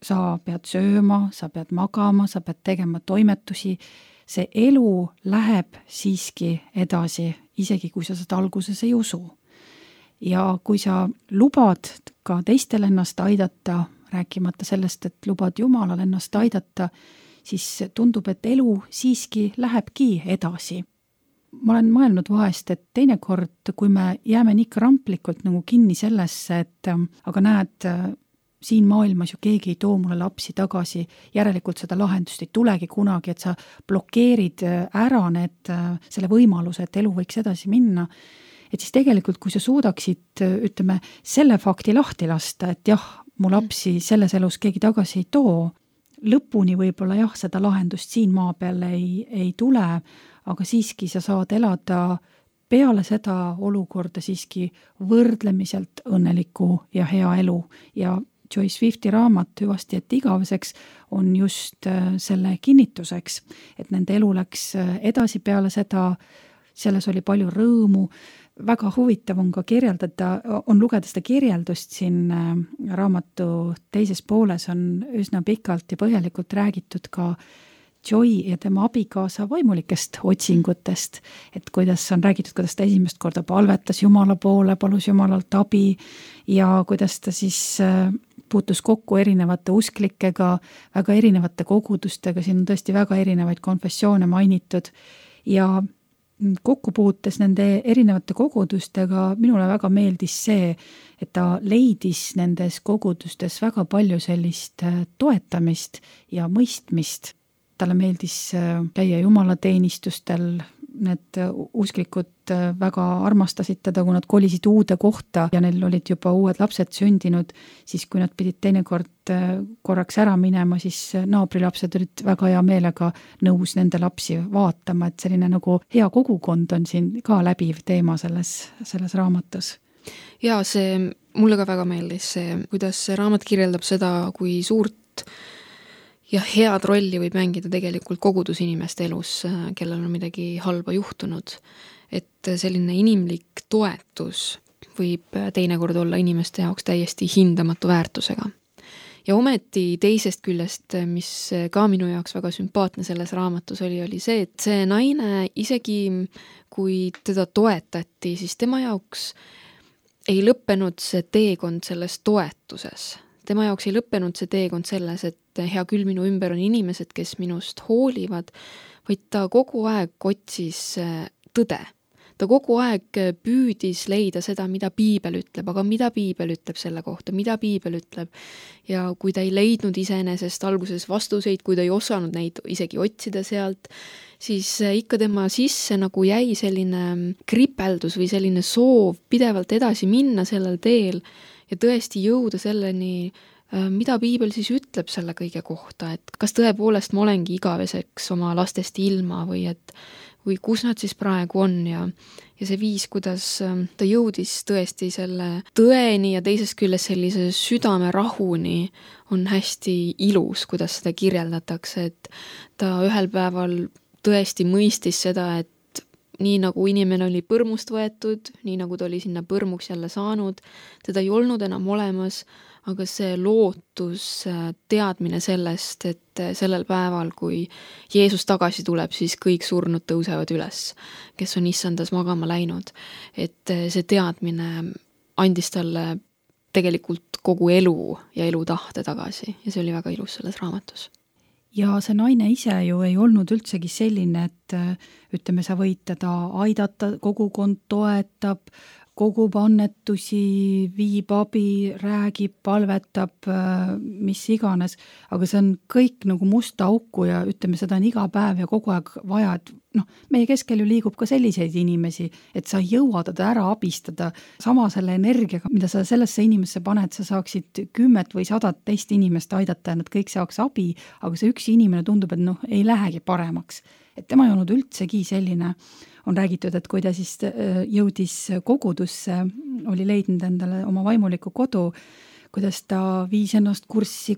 sa pead sööma, sa pead magama, sa pead tegema toimetusi, see elu läheb siiski edasi, isegi kui sa seda alguses ei usu. Ja kui sa lubad ka teistel ennast aidata, rääkimata sellest, et lubad Jumalal ennast aidata, siis tundub, et elu siiski lähebki edasi. Ma olen mõelnud vahest, et teinekord, kui me jääme nii kramplikult nagu kinni sellesse, et aga näed, siin maailmas ju keegi ei too mulle lapsi tagasi, järelikult seda lahendust ei tulegi kunagi, et sa blokeerid ära selle võimaluse, et elu võiks edasi minna. Et siis tegelikult, kui sa suudaksid, ütleme, selle fakti lahti lasta, et jah, mu lapsi selles elus keegi tagasi ei too, lõpuni võib-olla jah, seda lahendust siin maa peal ei tule, aga siiski sa saad elada peale seda olukorda siiski võrdlemiselt õnneliku ja hea elu. Ja Joyce Swifti raamat Hüvasti et igaveseks on just selle kinnituseks, et nende elu läks edasi peale seda, selles oli palju rõõmu. Väga huvitav on ka on lugeda seda kirjeldust siin raamatu teises pooles on üsna pikalt ja põhjalikult räägitud ka Joy ja tema abikaasa vaimulikest otsingutest, et kuidas on räägitud, kuidas ta esimest korda palvetas Jumala poole, palus Jumalalt abi ja kuidas ta siis puutus kokku erinevate usklikega, väga erinevate kogudustega, siin on tõesti väga erinevaid konfessioone mainitud ja kokkupuutes nende erinevate kogudustega minule väga meeldis see, et ta leidis nendes kogudustes väga palju sellist toetamist ja mõistmist. Talle meeldis käia jumalateenistustel, need usklikud väga armastasid teda, kui nad kolisid uude kohta ja neil olid juba uued lapsed sündinud, siis kui nad pidid teinekord korraks ära minema, siis naabrilapsed olid väga hea meelega nõus nende lapsi vaatama, et selline nagu hea kogukond on siin ka läbiv teema selles raamatus. Ja mulle ka väga meeldis see, kuidas see raamat kirjeldab seda, kui suurt ja head rolli võib mängida tegelikult kogudusinimeste elus, kellel on midagi halba juhtunud. Et selline inimlik toetus võib teinekord olla inimeste jaoks täiesti hindamatu väärtusega. Ja ometi teisest küljest, mis ka minu jaoks väga sümpaatne selles raamatus oli see, et see naine, isegi kui teda toetati, siis tema jaoks ei lõppenud see teekond selles toetuses. Tema jaoks ei lõppenud see teekond selles, et hea küll minu ümber on inimesed, kes minust hoolivad, vaid ta kogu aeg otsis tõde. Ta kogu aeg püüdis leida seda, mida Piibel ütleb, aga mida Piibel ütleb selle kohta, mida Piibel ütleb. Ja kui ta ei leidnud iseenesest alguses vastuseid, kui ta ei osanud neid isegi otsida sealt, siis ikka tema sisse nagu jäi selline kripeldus või selline soov pidevalt edasi minna sellel teel ja tõesti jõuda selleni, mida Piibel siis ütleb selle kõige kohta, et kas tõepoolest ma olengi igaveseks oma lastest ilma või kus nad siis praegu on ja see viis, kuidas ta jõudis tõesti selle tõeni ja teisest küljest sellise südame rahuni on hästi ilus, kuidas seda kirjeldatakse, et ta ühel päeval tõesti mõistis seda, et nii nagu inimene oli põrmust võetud, nii nagu ta oli sinna põrmuks jälle saanud, teda ei olnud enam olemas, aga see lootus, teadmine sellest, et sellel päeval, kui Jeesus tagasi tuleb, siis kõik surnud tõusevad üles, kes on issandas magama läinud. Et see teadmine andis talle tegelikult kogu elu ja elutahte tagasi ja see oli väga ilus selles raamatus. Ja see naine ise ju ei olnud üldsegi selline, et ütleme, sa võid teda aidata, kogukond toetab, kogub annetusi, viib abi, räägib, palvetab, mis iganes, aga see on kõik nagu musta auku ja ütleme, seda on iga päev ja kogu aeg vaja, et meie keskel ju liigub ka selliseid inimesi, et sa ei jõua teda ära abistada sama selle energiaga, mida sa sellesse inimesse paned, sa saaksid 10 või 100 teist inimest aidata ja nad kõik saaks abi, aga see üks inimene tundub, et ei lähegi paremaks. Et tema ei olnud üldsegi selline. On räägitud, et kui ta siis jõudis kogudusse, oli leidnud endale oma vaimuliku kodu, kuidas ta viis ennast kurssi,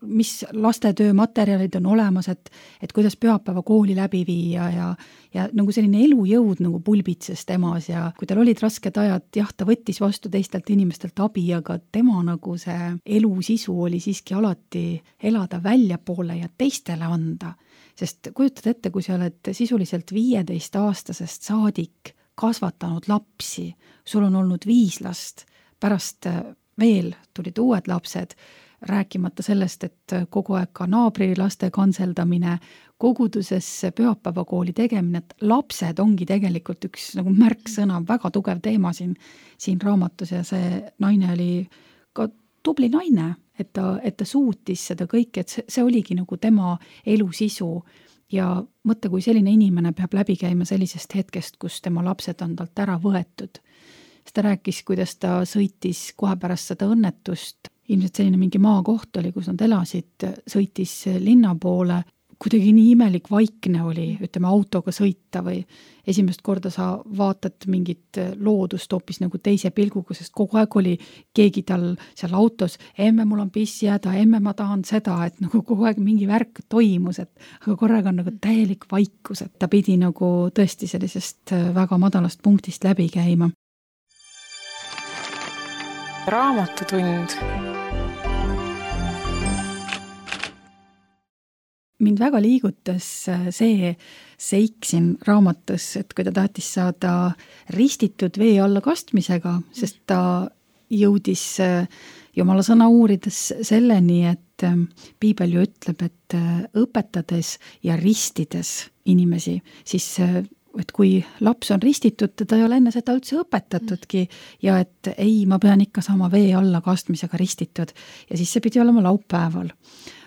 mis lastetöö materjalid on olemas, et kuidas pühapäeva kooli läbi viia ja nagu selline elujõud nagu pulbitses temas ja kui tal olid rasked ajad, jah, ta võttis vastu teistelt inimestelt abi, aga tema nagu see elu sisu oli siiski alati elada väljapoole ja teistele anda. Sest kujutad ette, kui sa oled sisuliselt 15-aastasest saadik kasvatanud lapsi, sul on olnud 5 last, pärast veel tulid uued lapsed, rääkimata sellest, et kogu aeg ka naabri laste kanseldamine, koguduses pühapäevakooli tegemine, et lapsed ongi tegelikult üks nagu märksõna, väga tugev teema siin raamatus ja see naine oli ka tubli naine, et ta suutis seda kõike, et see oligi nagu tema elu sisu ja mõtle, kui selline inimene peab läbi käima sellisest hetkest, kus tema lapsed on talt ära võetud. Ta rääkis, kuidas ta sõitis kohe pärast seda õnnetust, ilmselt selline mingi maakoht oli, kus nad elasid, sõitis linna poole, kuidagi nii imelik vaikne oli, ütleme autoga sõita või esimest korda sa vaatad mingit loodust hoopis nagu teise pilguga, sest kogu aeg oli keegi tal seal autos, emme mul on piss jääda, emme ma tahan seda, et nagu kogu aeg mingi värk toimus, aga korraga on nagu täielik vaikus, et ta pidi nagu tõesti sellisest väga madalast punktist läbi käima. Raamatutund. Mind väga liigutas see seik siin raamatus, et kui ta tahtis saada ristitud vee alla kastmisega, sest ta jõudis Jumala sõna uurides selleni, et Piibel ju ütleb, et õpetades ja ristides inimesi, siis et kui laps on ristitud, teda ei ole enne seda üldse õpetatudki ja et ei, ma pean ikka saama vee alla kastmisega ristitud ja siis see pidi olema laupäeval.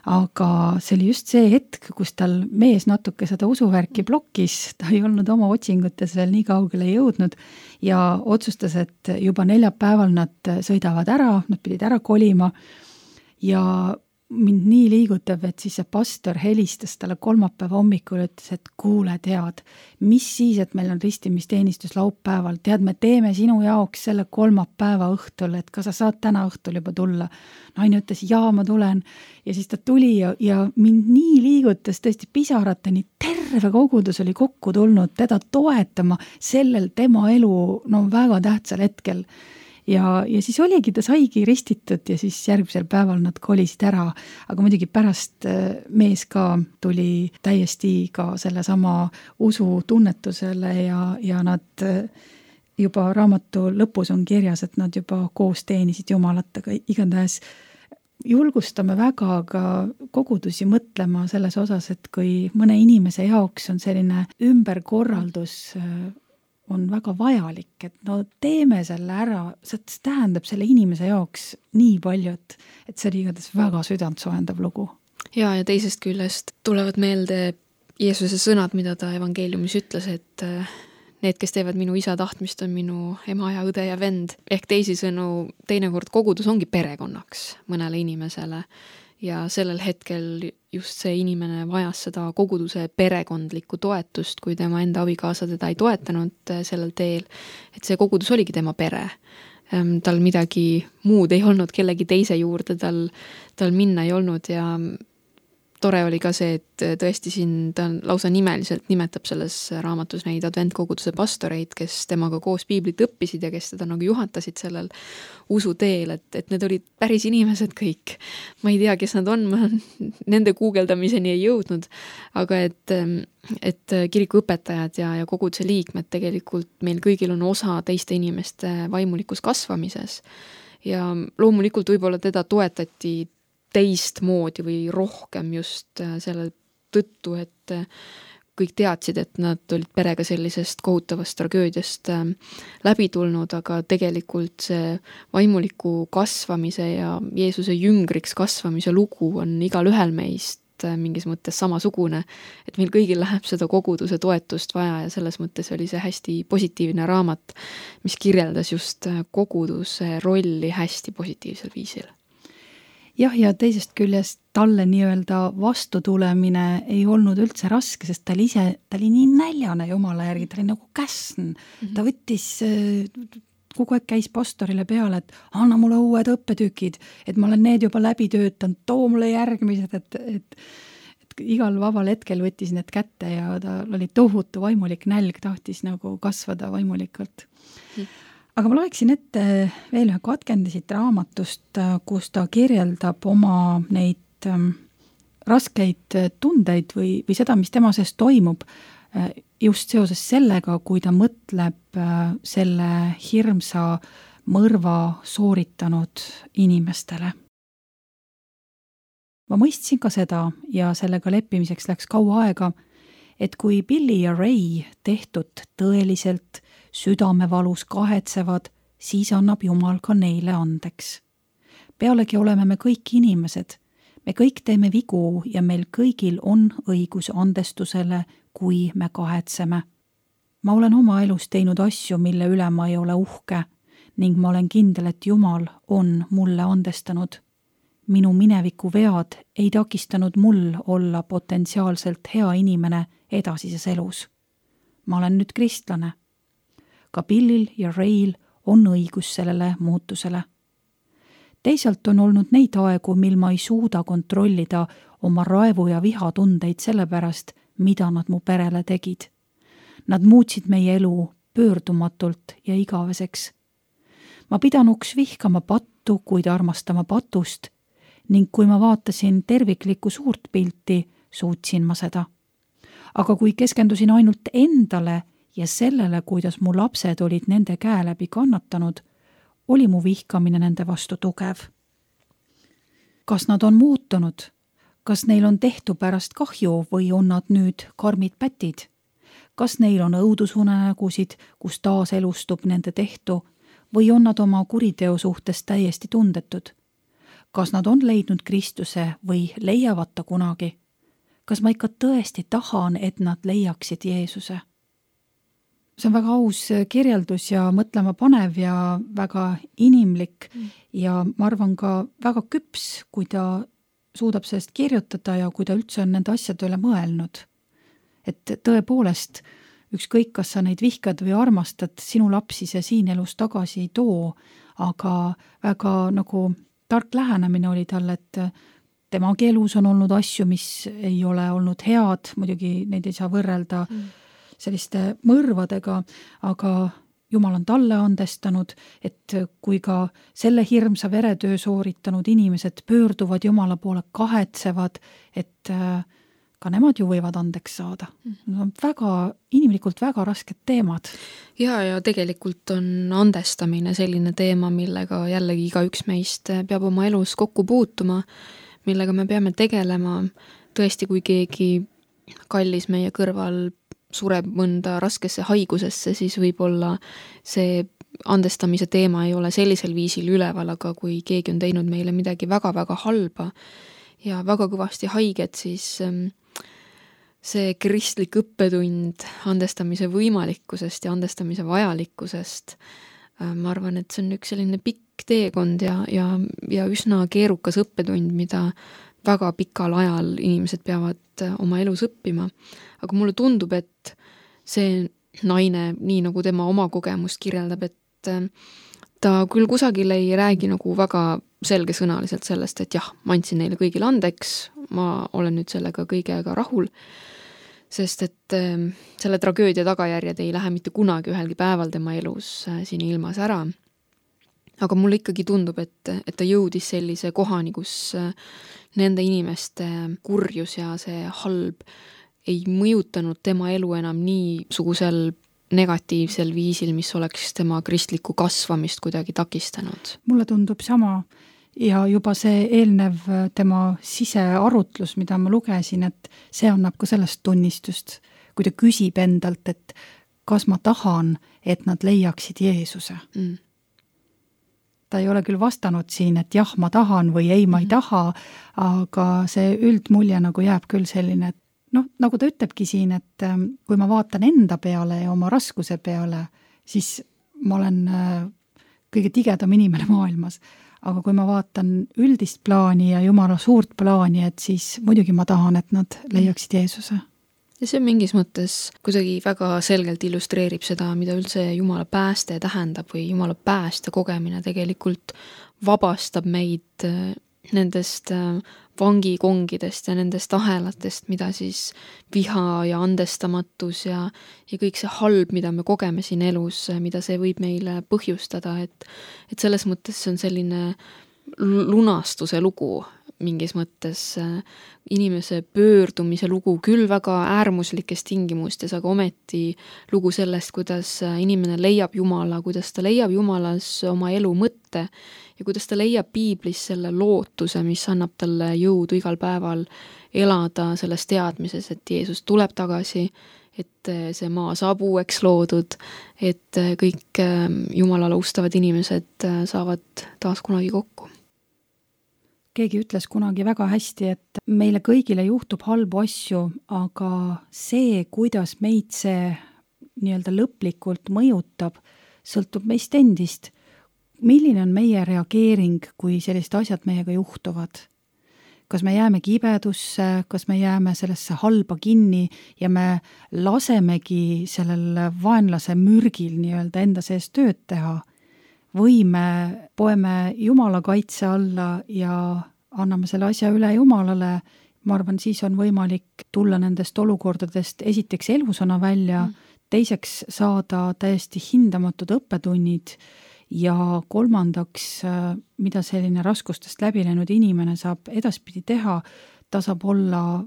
Aga see oli just see hetk, kus tal mees natuke seda usuvärki blokkis, ta ei olnud oma otsingutes veel nii kaugele jõudnud ja otsustas, et juba neljapäeval nad sõidavad ära, nad pidid ära kolima ja mind nii liigutab, et siis see pastor helistas talle kolmapäeva hommikul, ütles, et kuule, tead, mis siis, et meil on ristimisteenistus laupäeval, tead, me teeme sinu jaoks selle kolmapäeva õhtul, et kas sa saad täna õhtul juba tulla. Naine ütles, jaa, ma tulen ja siis ta tuli ja mind nii liigutas tõesti pisarateni, terve kogudus oli kokku tulnud teda toetama sellel tema elu väga tähtsal hetkel. Ja siis oligi, ta saigi ristitud ja siis järgmisel päeval nad kolisid ära, aga muidugi pärast mees ka tuli täiesti ka selle sama usu tunnetusele ja nad juba raamatu lõpus on kirjas, et nad juba koos teenisid Jumalat, aga igatahes julgustame väga ka kogudusi mõtlema selles osas, et kui mõne inimese jaoks on selline ümberkorraldus on väga vajalik, et teeme selle ära, see tähendab selle inimese jaoks nii palju, et see oli igatahes väga südantsoojendav lugu. Ja teisest küljest tulevad meelde Jeesuse sõnad, mida ta evangeeliumis ütles, et need, kes teevad minu isa tahtmist, on minu ema ja õde ja vend. Ehk teisisõnu, teinekord kogudus ongi perekonnaks mõnele inimesele ja sellel hetkel just see inimene vajas seda koguduse perekondlikku toetust, kui tema enda abikaasa teda ei toetanud sellel teel, et see kogudus oligi tema pere. Tal midagi muud ei olnud, kellegi teise juurde tal minna ei olnud ja tore oli ka see, et tõesti siin ta lausa nimeliselt nimetab selles raamatus neid adventkoguduse pastoreid, kes temaga koos piiblit õppisid ja kes teda nagu juhatasid sellel usuteel, et need olid päris inimesed kõik. Ma ei tea, kes nad on, ma nende guugeldamiseni ei jõudnud, aga et kirikuõpetajad ja koguduse liikmed tegelikult meil kõigil on osa teiste inimeste vaimulikus kasvamises ja loomulikult võib-olla teda toetati teistmoodi või rohkem just selle tõttu, et kõik teadsid, et nad olid perega sellisest kohutavast tragöödiast läbi tulnud, aga tegelikult see vaimuliku kasvamise ja Jeesuse jüngriks kasvamise lugu on igal ühel meist mingis mõttes samasugune, et meil kõigil läheb seda koguduse toetust vaja ja selles mõttes oli see hästi positiivne raamat, mis kirjeldas just koguduse rolli hästi positiivsel viisil. Jah, ja teisest küljest talle nii-öelda vastutulemine ei olnud üldse raske, sest ta oli nii näljane jumala järgi, ta oli nagu käsn. Ta võttis, kogu aeg käis pastorile peale, et anna mulle uued õppetükid, et ma olen need juba läbi töötanud, too mulle järgmised, et igal vabal hetkel võttis need kätte ja ta oli tohutu vaimulik nälg, tahtis nagu kasvada vaimulikult. Aga ma loeksin ette veel ühe katkende siit raamatust, kus ta kirjeldab oma neid raskeid tundeid või seda, mis tema sees toimub just seoses sellega, kui ta mõtleb selle hirmsa mõrva sooritanud inimestele. Ma mõistsin ka seda ja sellega leppimiseks läks kaua aega, et kui Billy ja Ray tehtud tõeliselt südamevalus kahetsevad, siis annab Jumal ka neile andeks. Pealegi oleme me kõik inimesed. Me kõik teeme vigu ja meil kõigil on õigus andestusele, kui me kahetseme. Ma olen oma elus teinud asju, mille üle ma ei ole uhke ning ma olen kindel, et Jumal on mulle andestanud. Minu mineviku vead ei takistanud mul olla potentsiaalselt hea inimene edasises elus. Ma olen nüüd kristlane. Ka Billil ja Rayl on õigus sellele muutusele. Teisalt on olnud neid aegu, mil ma ei suuda kontrollida oma raevu ja vihatundeid selle pärast, mida nad mu perele tegid. Nad muutsid meie elu pöördumatult ja igaveseks. Ma pidanuks vihkama pattu, kuid armastama patust ning kui ma vaatasin terviklikku suurt pilti, suutsin ma seda. Aga kui keskendusin ainult endale ja sellele, kuidas mu lapsed olid nende käe läbi kannatanud, oli mu vihkamine nende vastu tugev. Kas nad on muutunud? Kas neil on tehtu pärast kahju või on nad nüüd karmid pätid? Kas neil on õudusunenägusid, kus taas elustub nende tehtu või on nad oma kuriteo suhtes täiesti tundetud? Kas nad on leidnud Kristuse või leiavad ta kunagi? Kas ma ikka tõesti tahan, et nad leiaksid Jeesuse? See on väga aus kirjeldus ja mõtlema panev ja väga inimlik ja ma arvan ka väga küps, kui ta suudab sellest kirjutada ja kui ta üldse on nende asjade üle mõelnud. Et tõepoolest, ükskõik, kas sa neid vihkad või armastad, sinu lapsi see siin elus tagasi ei too, aga väga nagu tark lähenemine oli tal, et temagi elus on olnud asju, mis ei ole olnud head, muidugi neid ei saa võrrelda selliste mõrvadega, aga Jumal on talle andestanud, et kui ka selle hirmsa veretöö sooritanud inimesed pöörduvad Jumala poole, kahetsevad, et ka nemad ju võivad andeks saada. Need on väga, inimlikult väga rasked teemad. Ja tegelikult on andestamine selline teema, millega jällegi igaüks meist peab oma elus kokku puutuma, millega me peame tegelema. Tõesti, kui keegi kallis meie kõrval sureb mõnda raskesse haigusesse, siis võib-olla see andestamise teema ei ole sellisel viisil üleval, aga kui keegi on teinud meile midagi väga-väga halba ja väga kõvasti haiget, siis see kristlik õppetund andestamise võimalikkusest ja andestamise vajalikkusest, ma arvan, et see on üks selline pikk teekond ja üsna keerukas õppetund, mida väga pikal ajal inimesed peavad oma elus õppima. Aga mulle tundub, et see naine, nii nagu tema oma kogemust kirjeldab, et ta küll kusagil ei räägi nagu väga selgesõnaliselt sellest, et jah, ma andsin neile kõigile andeks, ma olen nüüd sellega kõigega rahul, sest et selle tragöödia tagajärjed ei lähe mitte kunagi ühelgi päeval tema elus siin ilmas ära. Aga mulle ikkagi tundub, et ta jõudis sellise kohani, kus nende inimeste kurjus ja see halb ei mõjutanud tema elu enam niisugusel negatiivsel viisil, mis oleks tema kristlikku kasvamist kuidagi takistanud. Mulle tundub sama ja juba see eelnev tema sisearutlus, mida ma lugesin, et see annab ka sellest tunnistust, kui ta küsib endalt, et kas ma tahan, et nad leiaksid Jeesuse. ta ei ole küll vastanud siin, et jah, ma tahan või ei, ma ei taha, aga see üldmulje nagu jääb küll selline, et noh, nagu ta ütlebki siin, et kui ma vaatan enda peale ja oma raskuse peale, siis ma olen kõige tigedam inimene maailmas. Aga kui ma vaatan üldist plaani ja Jumala suurt plaani, et siis muidugi ma tahan, et nad leiaksid Jeesuse. Ja see mingis mõttes kuidagi väga selgelt illustreerib seda, mida üldse Jumala pääste tähendab või Jumala pääste kogemine tegelikult vabastab meid nendest vangikongidest ja nendest ahelatest, mida siis viha ja andestamatus ja kõik see halb, mida me kogeme siin elus, mida see võib meile põhjustada, et selles mõttes see on selline lunastuse lugu mingis mõttes, inimese pöördumise lugu, küll väga äärmuslikes tingimustes, aga ometi lugu sellest, kuidas inimene leiab Jumala, kuidas ta leiab Jumalas oma elu mõtte ja kuidas ta leiab piiblis selle lootuse, mis annab talle jõudu igal päeval elada selles teadmises, et Jeesus tuleb tagasi, et see maa saab uueks loodud, et kõik Jumalale ustavad inimesed saavad taas kunagi kokku. Keegi ütles kunagi väga hästi, et meile kõigile juhtub halbu asju, aga see, kuidas meid see nii-öelda lõplikult mõjutab, sõltub meist endist. Milline on meie reageering, kui sellised asjad meiega juhtuvad? Kas me jääme kibedusse, kas me jääme sellesse halba kinni ja me lasemegi sellel vaenlase mürgil nii-öelda enda sees tööd teha? Või me poeme Jumala kaitse alla ja anname selle asja üle Jumalale, ma arvan, siis on võimalik tulla nendest olukordadest esiteks elusana välja, teiseks saada täiesti hindamatud õppetunnid ja kolmandaks, mida selline raskustest läbi läinud inimene saab edaspidi teha, ta saab olla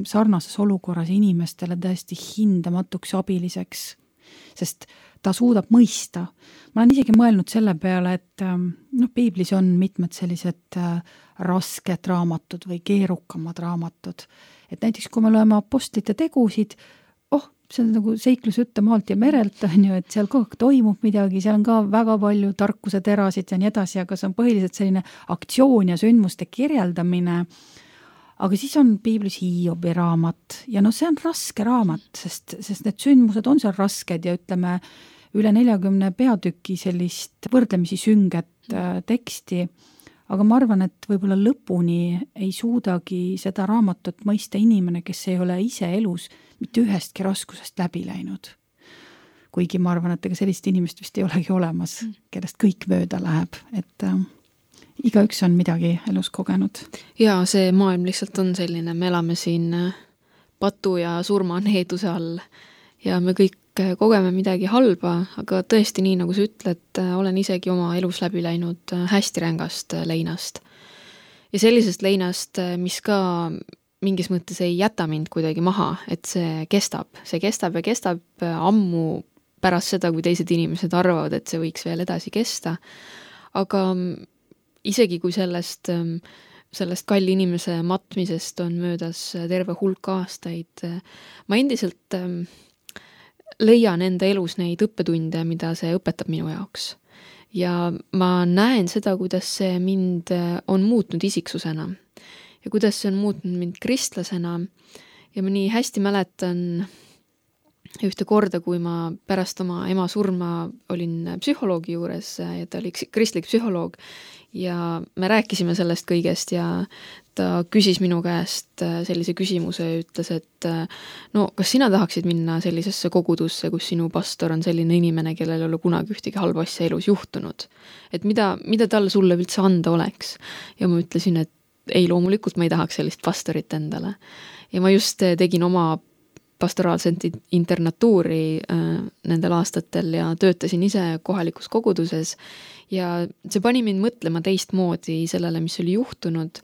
sarnases olukorras inimestele täiesti hindamatuks abiliseks, sest ta suudab mõista. Ma olen isegi mõelnud selle peale, et piiblis on mitmed sellised rasked raamatud või keerukamad raamatud. Et näiteks kui me loeme apostlite tegusid, see on nagu seiklus ütte maalt ja merelt, et seal kogu aeg toimub midagi, seal on ka väga palju tarkuse terasid ja nii edasi, aga see on põhiliselt selline aktsioon ja sündmuste kirjeldamine. Aga siis on piiblis Hiobi raamat ja see on raske raamat, sest need sündmused on seal rasked ja ütleme üle 40 peatüki sellist võrdlemisi sünget teksti, aga ma arvan, et võib-olla lõpuni ei suudagi seda raamatut mõista inimene, kes ei ole ise elus mitte ühestki raskusest läbi läinud. Kuigi ma arvan, et ega sellist inimest vist ei olegi olemas, kellest kõik mööda läheb, et igaüks on midagi elus kogenud. Ja see maailm lihtsalt on selline, me elame siin patu ja surma needuse all ja me kõik kogeme midagi halba, aga tõesti nii, nagu sa ütled, olen isegi oma elus läbi läinud hästi rängast leinast. Ja sellisest leinast, mis ka mingis mõttes ei jäta mind kuidagi maha, et see kestab ja kestab ammu pärast seda, kui teised inimesed arvavad, et see võiks veel edasi kesta. Aga isegi kui sellest kalli inimese matmisest on möödas terve hulk aastaid, ma endiselt leian enda elus neid õppetunde, mida see õpetab minu jaoks. Ja ma näen seda, kuidas see mind on muutnud isiksusena ja kuidas see on muutnud mind kristlasena ja ma nii hästi mäletan ühte korda, kui ma pärast oma ema surma olin psühholoogi juures ja ta oli kristlik psühholoog ja me rääkisime sellest kõigest ja ta küsis minu käest sellise küsimuse ja ütles, et kas sina tahaksid minna sellisesse kogudusse, kus sinu pastor on selline inimene, kellel ei ole kunagi ühtegi halba asja elus juhtunud. Et mida tal sulle üldse anda oleks? Ja ma ütlesin, et ei, loomulikult ma ei tahaks sellist pastorit endale. Ja ma just tegin oma pastoraalset internatuuri nendel aastatel ja töötasin ise kohalikus koguduses ja see pani mind mõtlema teistmoodi sellele, mis oli juhtunud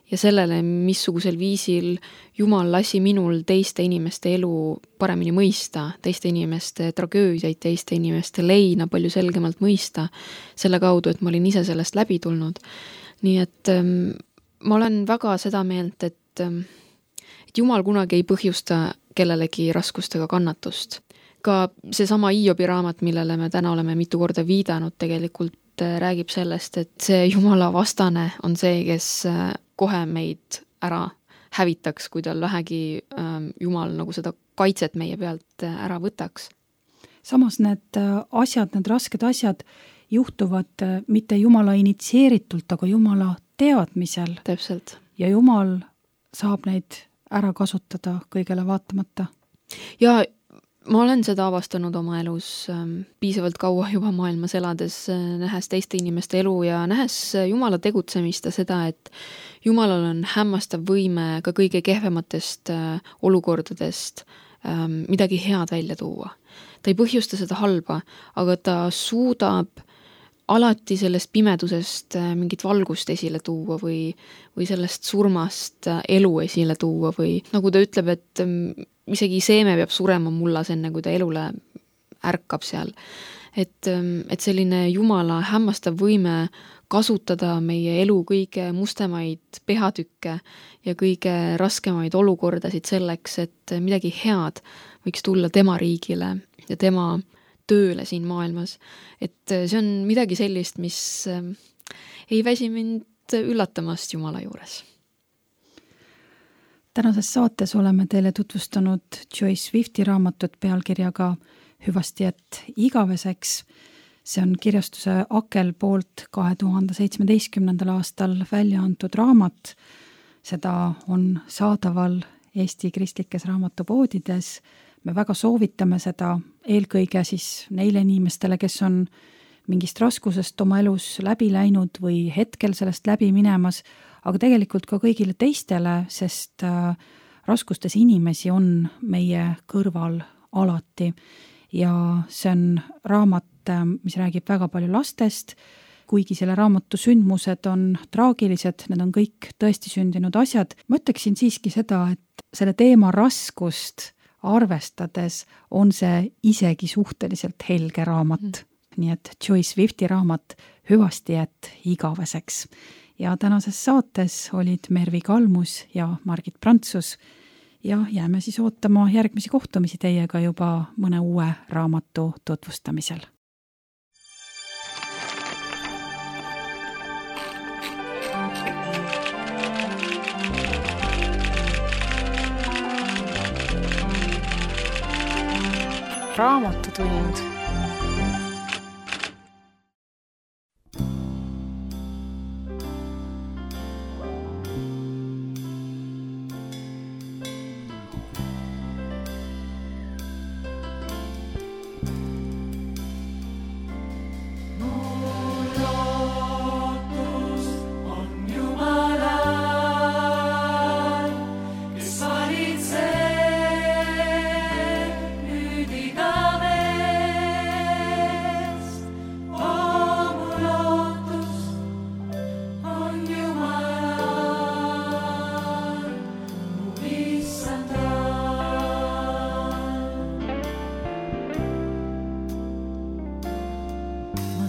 ja sellele, missugusel viisil Jumal lasi minul teiste inimeste elu paremini mõista, teiste inimeste tragöödiaid, teiste inimeste leina palju selgemalt mõista selle kaudu, et ma olin ise sellest läbi tulnud. Nii et ma olen väga seda meelt, et Jumal kunagi ei põhjusta kellelegi raskustega kannatust. Ka seesama Hiobi raamat, millele me täna oleme mitu korda viidanud, tegelikult raamat räägib sellest, et see Jumala vastane on see, kes kohe meid ära hävitaks, kui tal vähegi Jumal nagu seda kaitset meie pealt ära võtaks. Samas need asjad, need rasked asjad juhtuvad mitte Jumala initsieeritult, aga Jumala teadmisel. Täpselt. Ja Jumal saab neid ära kasutada kõigele vaatamata. Ja ma olen seda avastanud oma elus piisavalt kaua juba maailmas elades, nähes teiste inimeste elu ja nähes Jumala tegutsemist ja seda, et Jumalal on hämmastav võime ka kõige kehvematest olukordadest midagi head välja tuua. Ta ei põhjusta seda halba, aga ta suudab alati sellest pimedusest mingit valgust esile tuua või sellest surmast elu esile tuua või nagu ta ütleb, et isegi seeme peab surema mullas enne, kui ta elule ärkab seal. Et selline Jumala hämmastav võime kasutada meie elu kõige mustemaid peatükke ja kõige raskemaid olukordasid selleks, et midagi head võiks tulla tema riigile ja tema tööle siin maailmas. Et see on midagi sellist, mis ei väsi mind üllatamast Jumala juures. Tänases saates oleme teile tutvustanud Joyce Swifti raamatut pealkirjaga Hüvasti, et igaveseks. See on kirjastuse Akel poolt 2017. aastal välja antud raamat. Seda on saadaval Eesti kristlikes raamatupoodides. Me väga soovitame seda eelkõige siis neile inimestele, kes on mingist raskusest oma elus läbi läinud või hetkel sellest läbi minemas, aga tegelikult ka kõigile teistele, sest raskustes inimesi on meie kõrval alati. Ja see on raamat, mis räägib väga palju lastest, kuigi selle raamatu sündmused on traagilised, need on kõik tõesti sündinud asjad. Ma ütleksin siiski seda, et selle teema raskust arvestades on see isegi suhteliselt helge raamat. Nii et Joyce Swifti raamat Hüvasti, et igaveseks. Ja tänases saates olid Mervi Kalmus ja Margit Prantsus ja jääme siis ootama järgmisi kohtumisi teiega juba mõne uue raamatu tutvustamisel. Raamatutund.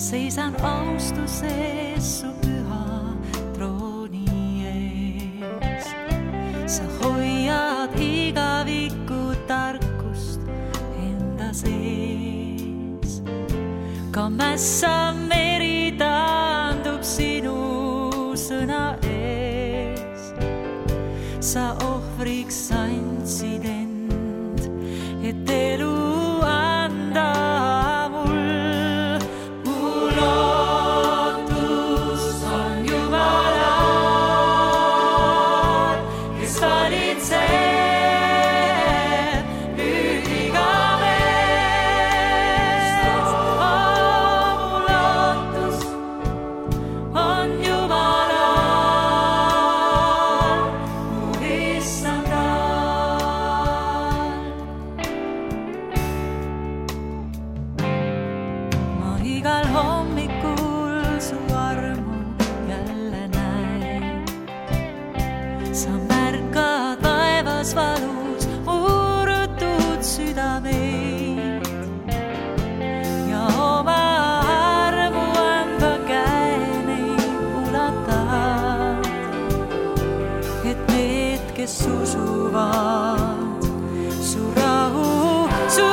Seisan austuses su püha trooni ees. Sa hoiad igavikku tarkust enda sees. Ka mässa meri taandub sinu sõna ees. Sa ohvriks andsid end, et elu anda. Kes usuvad su rahu, su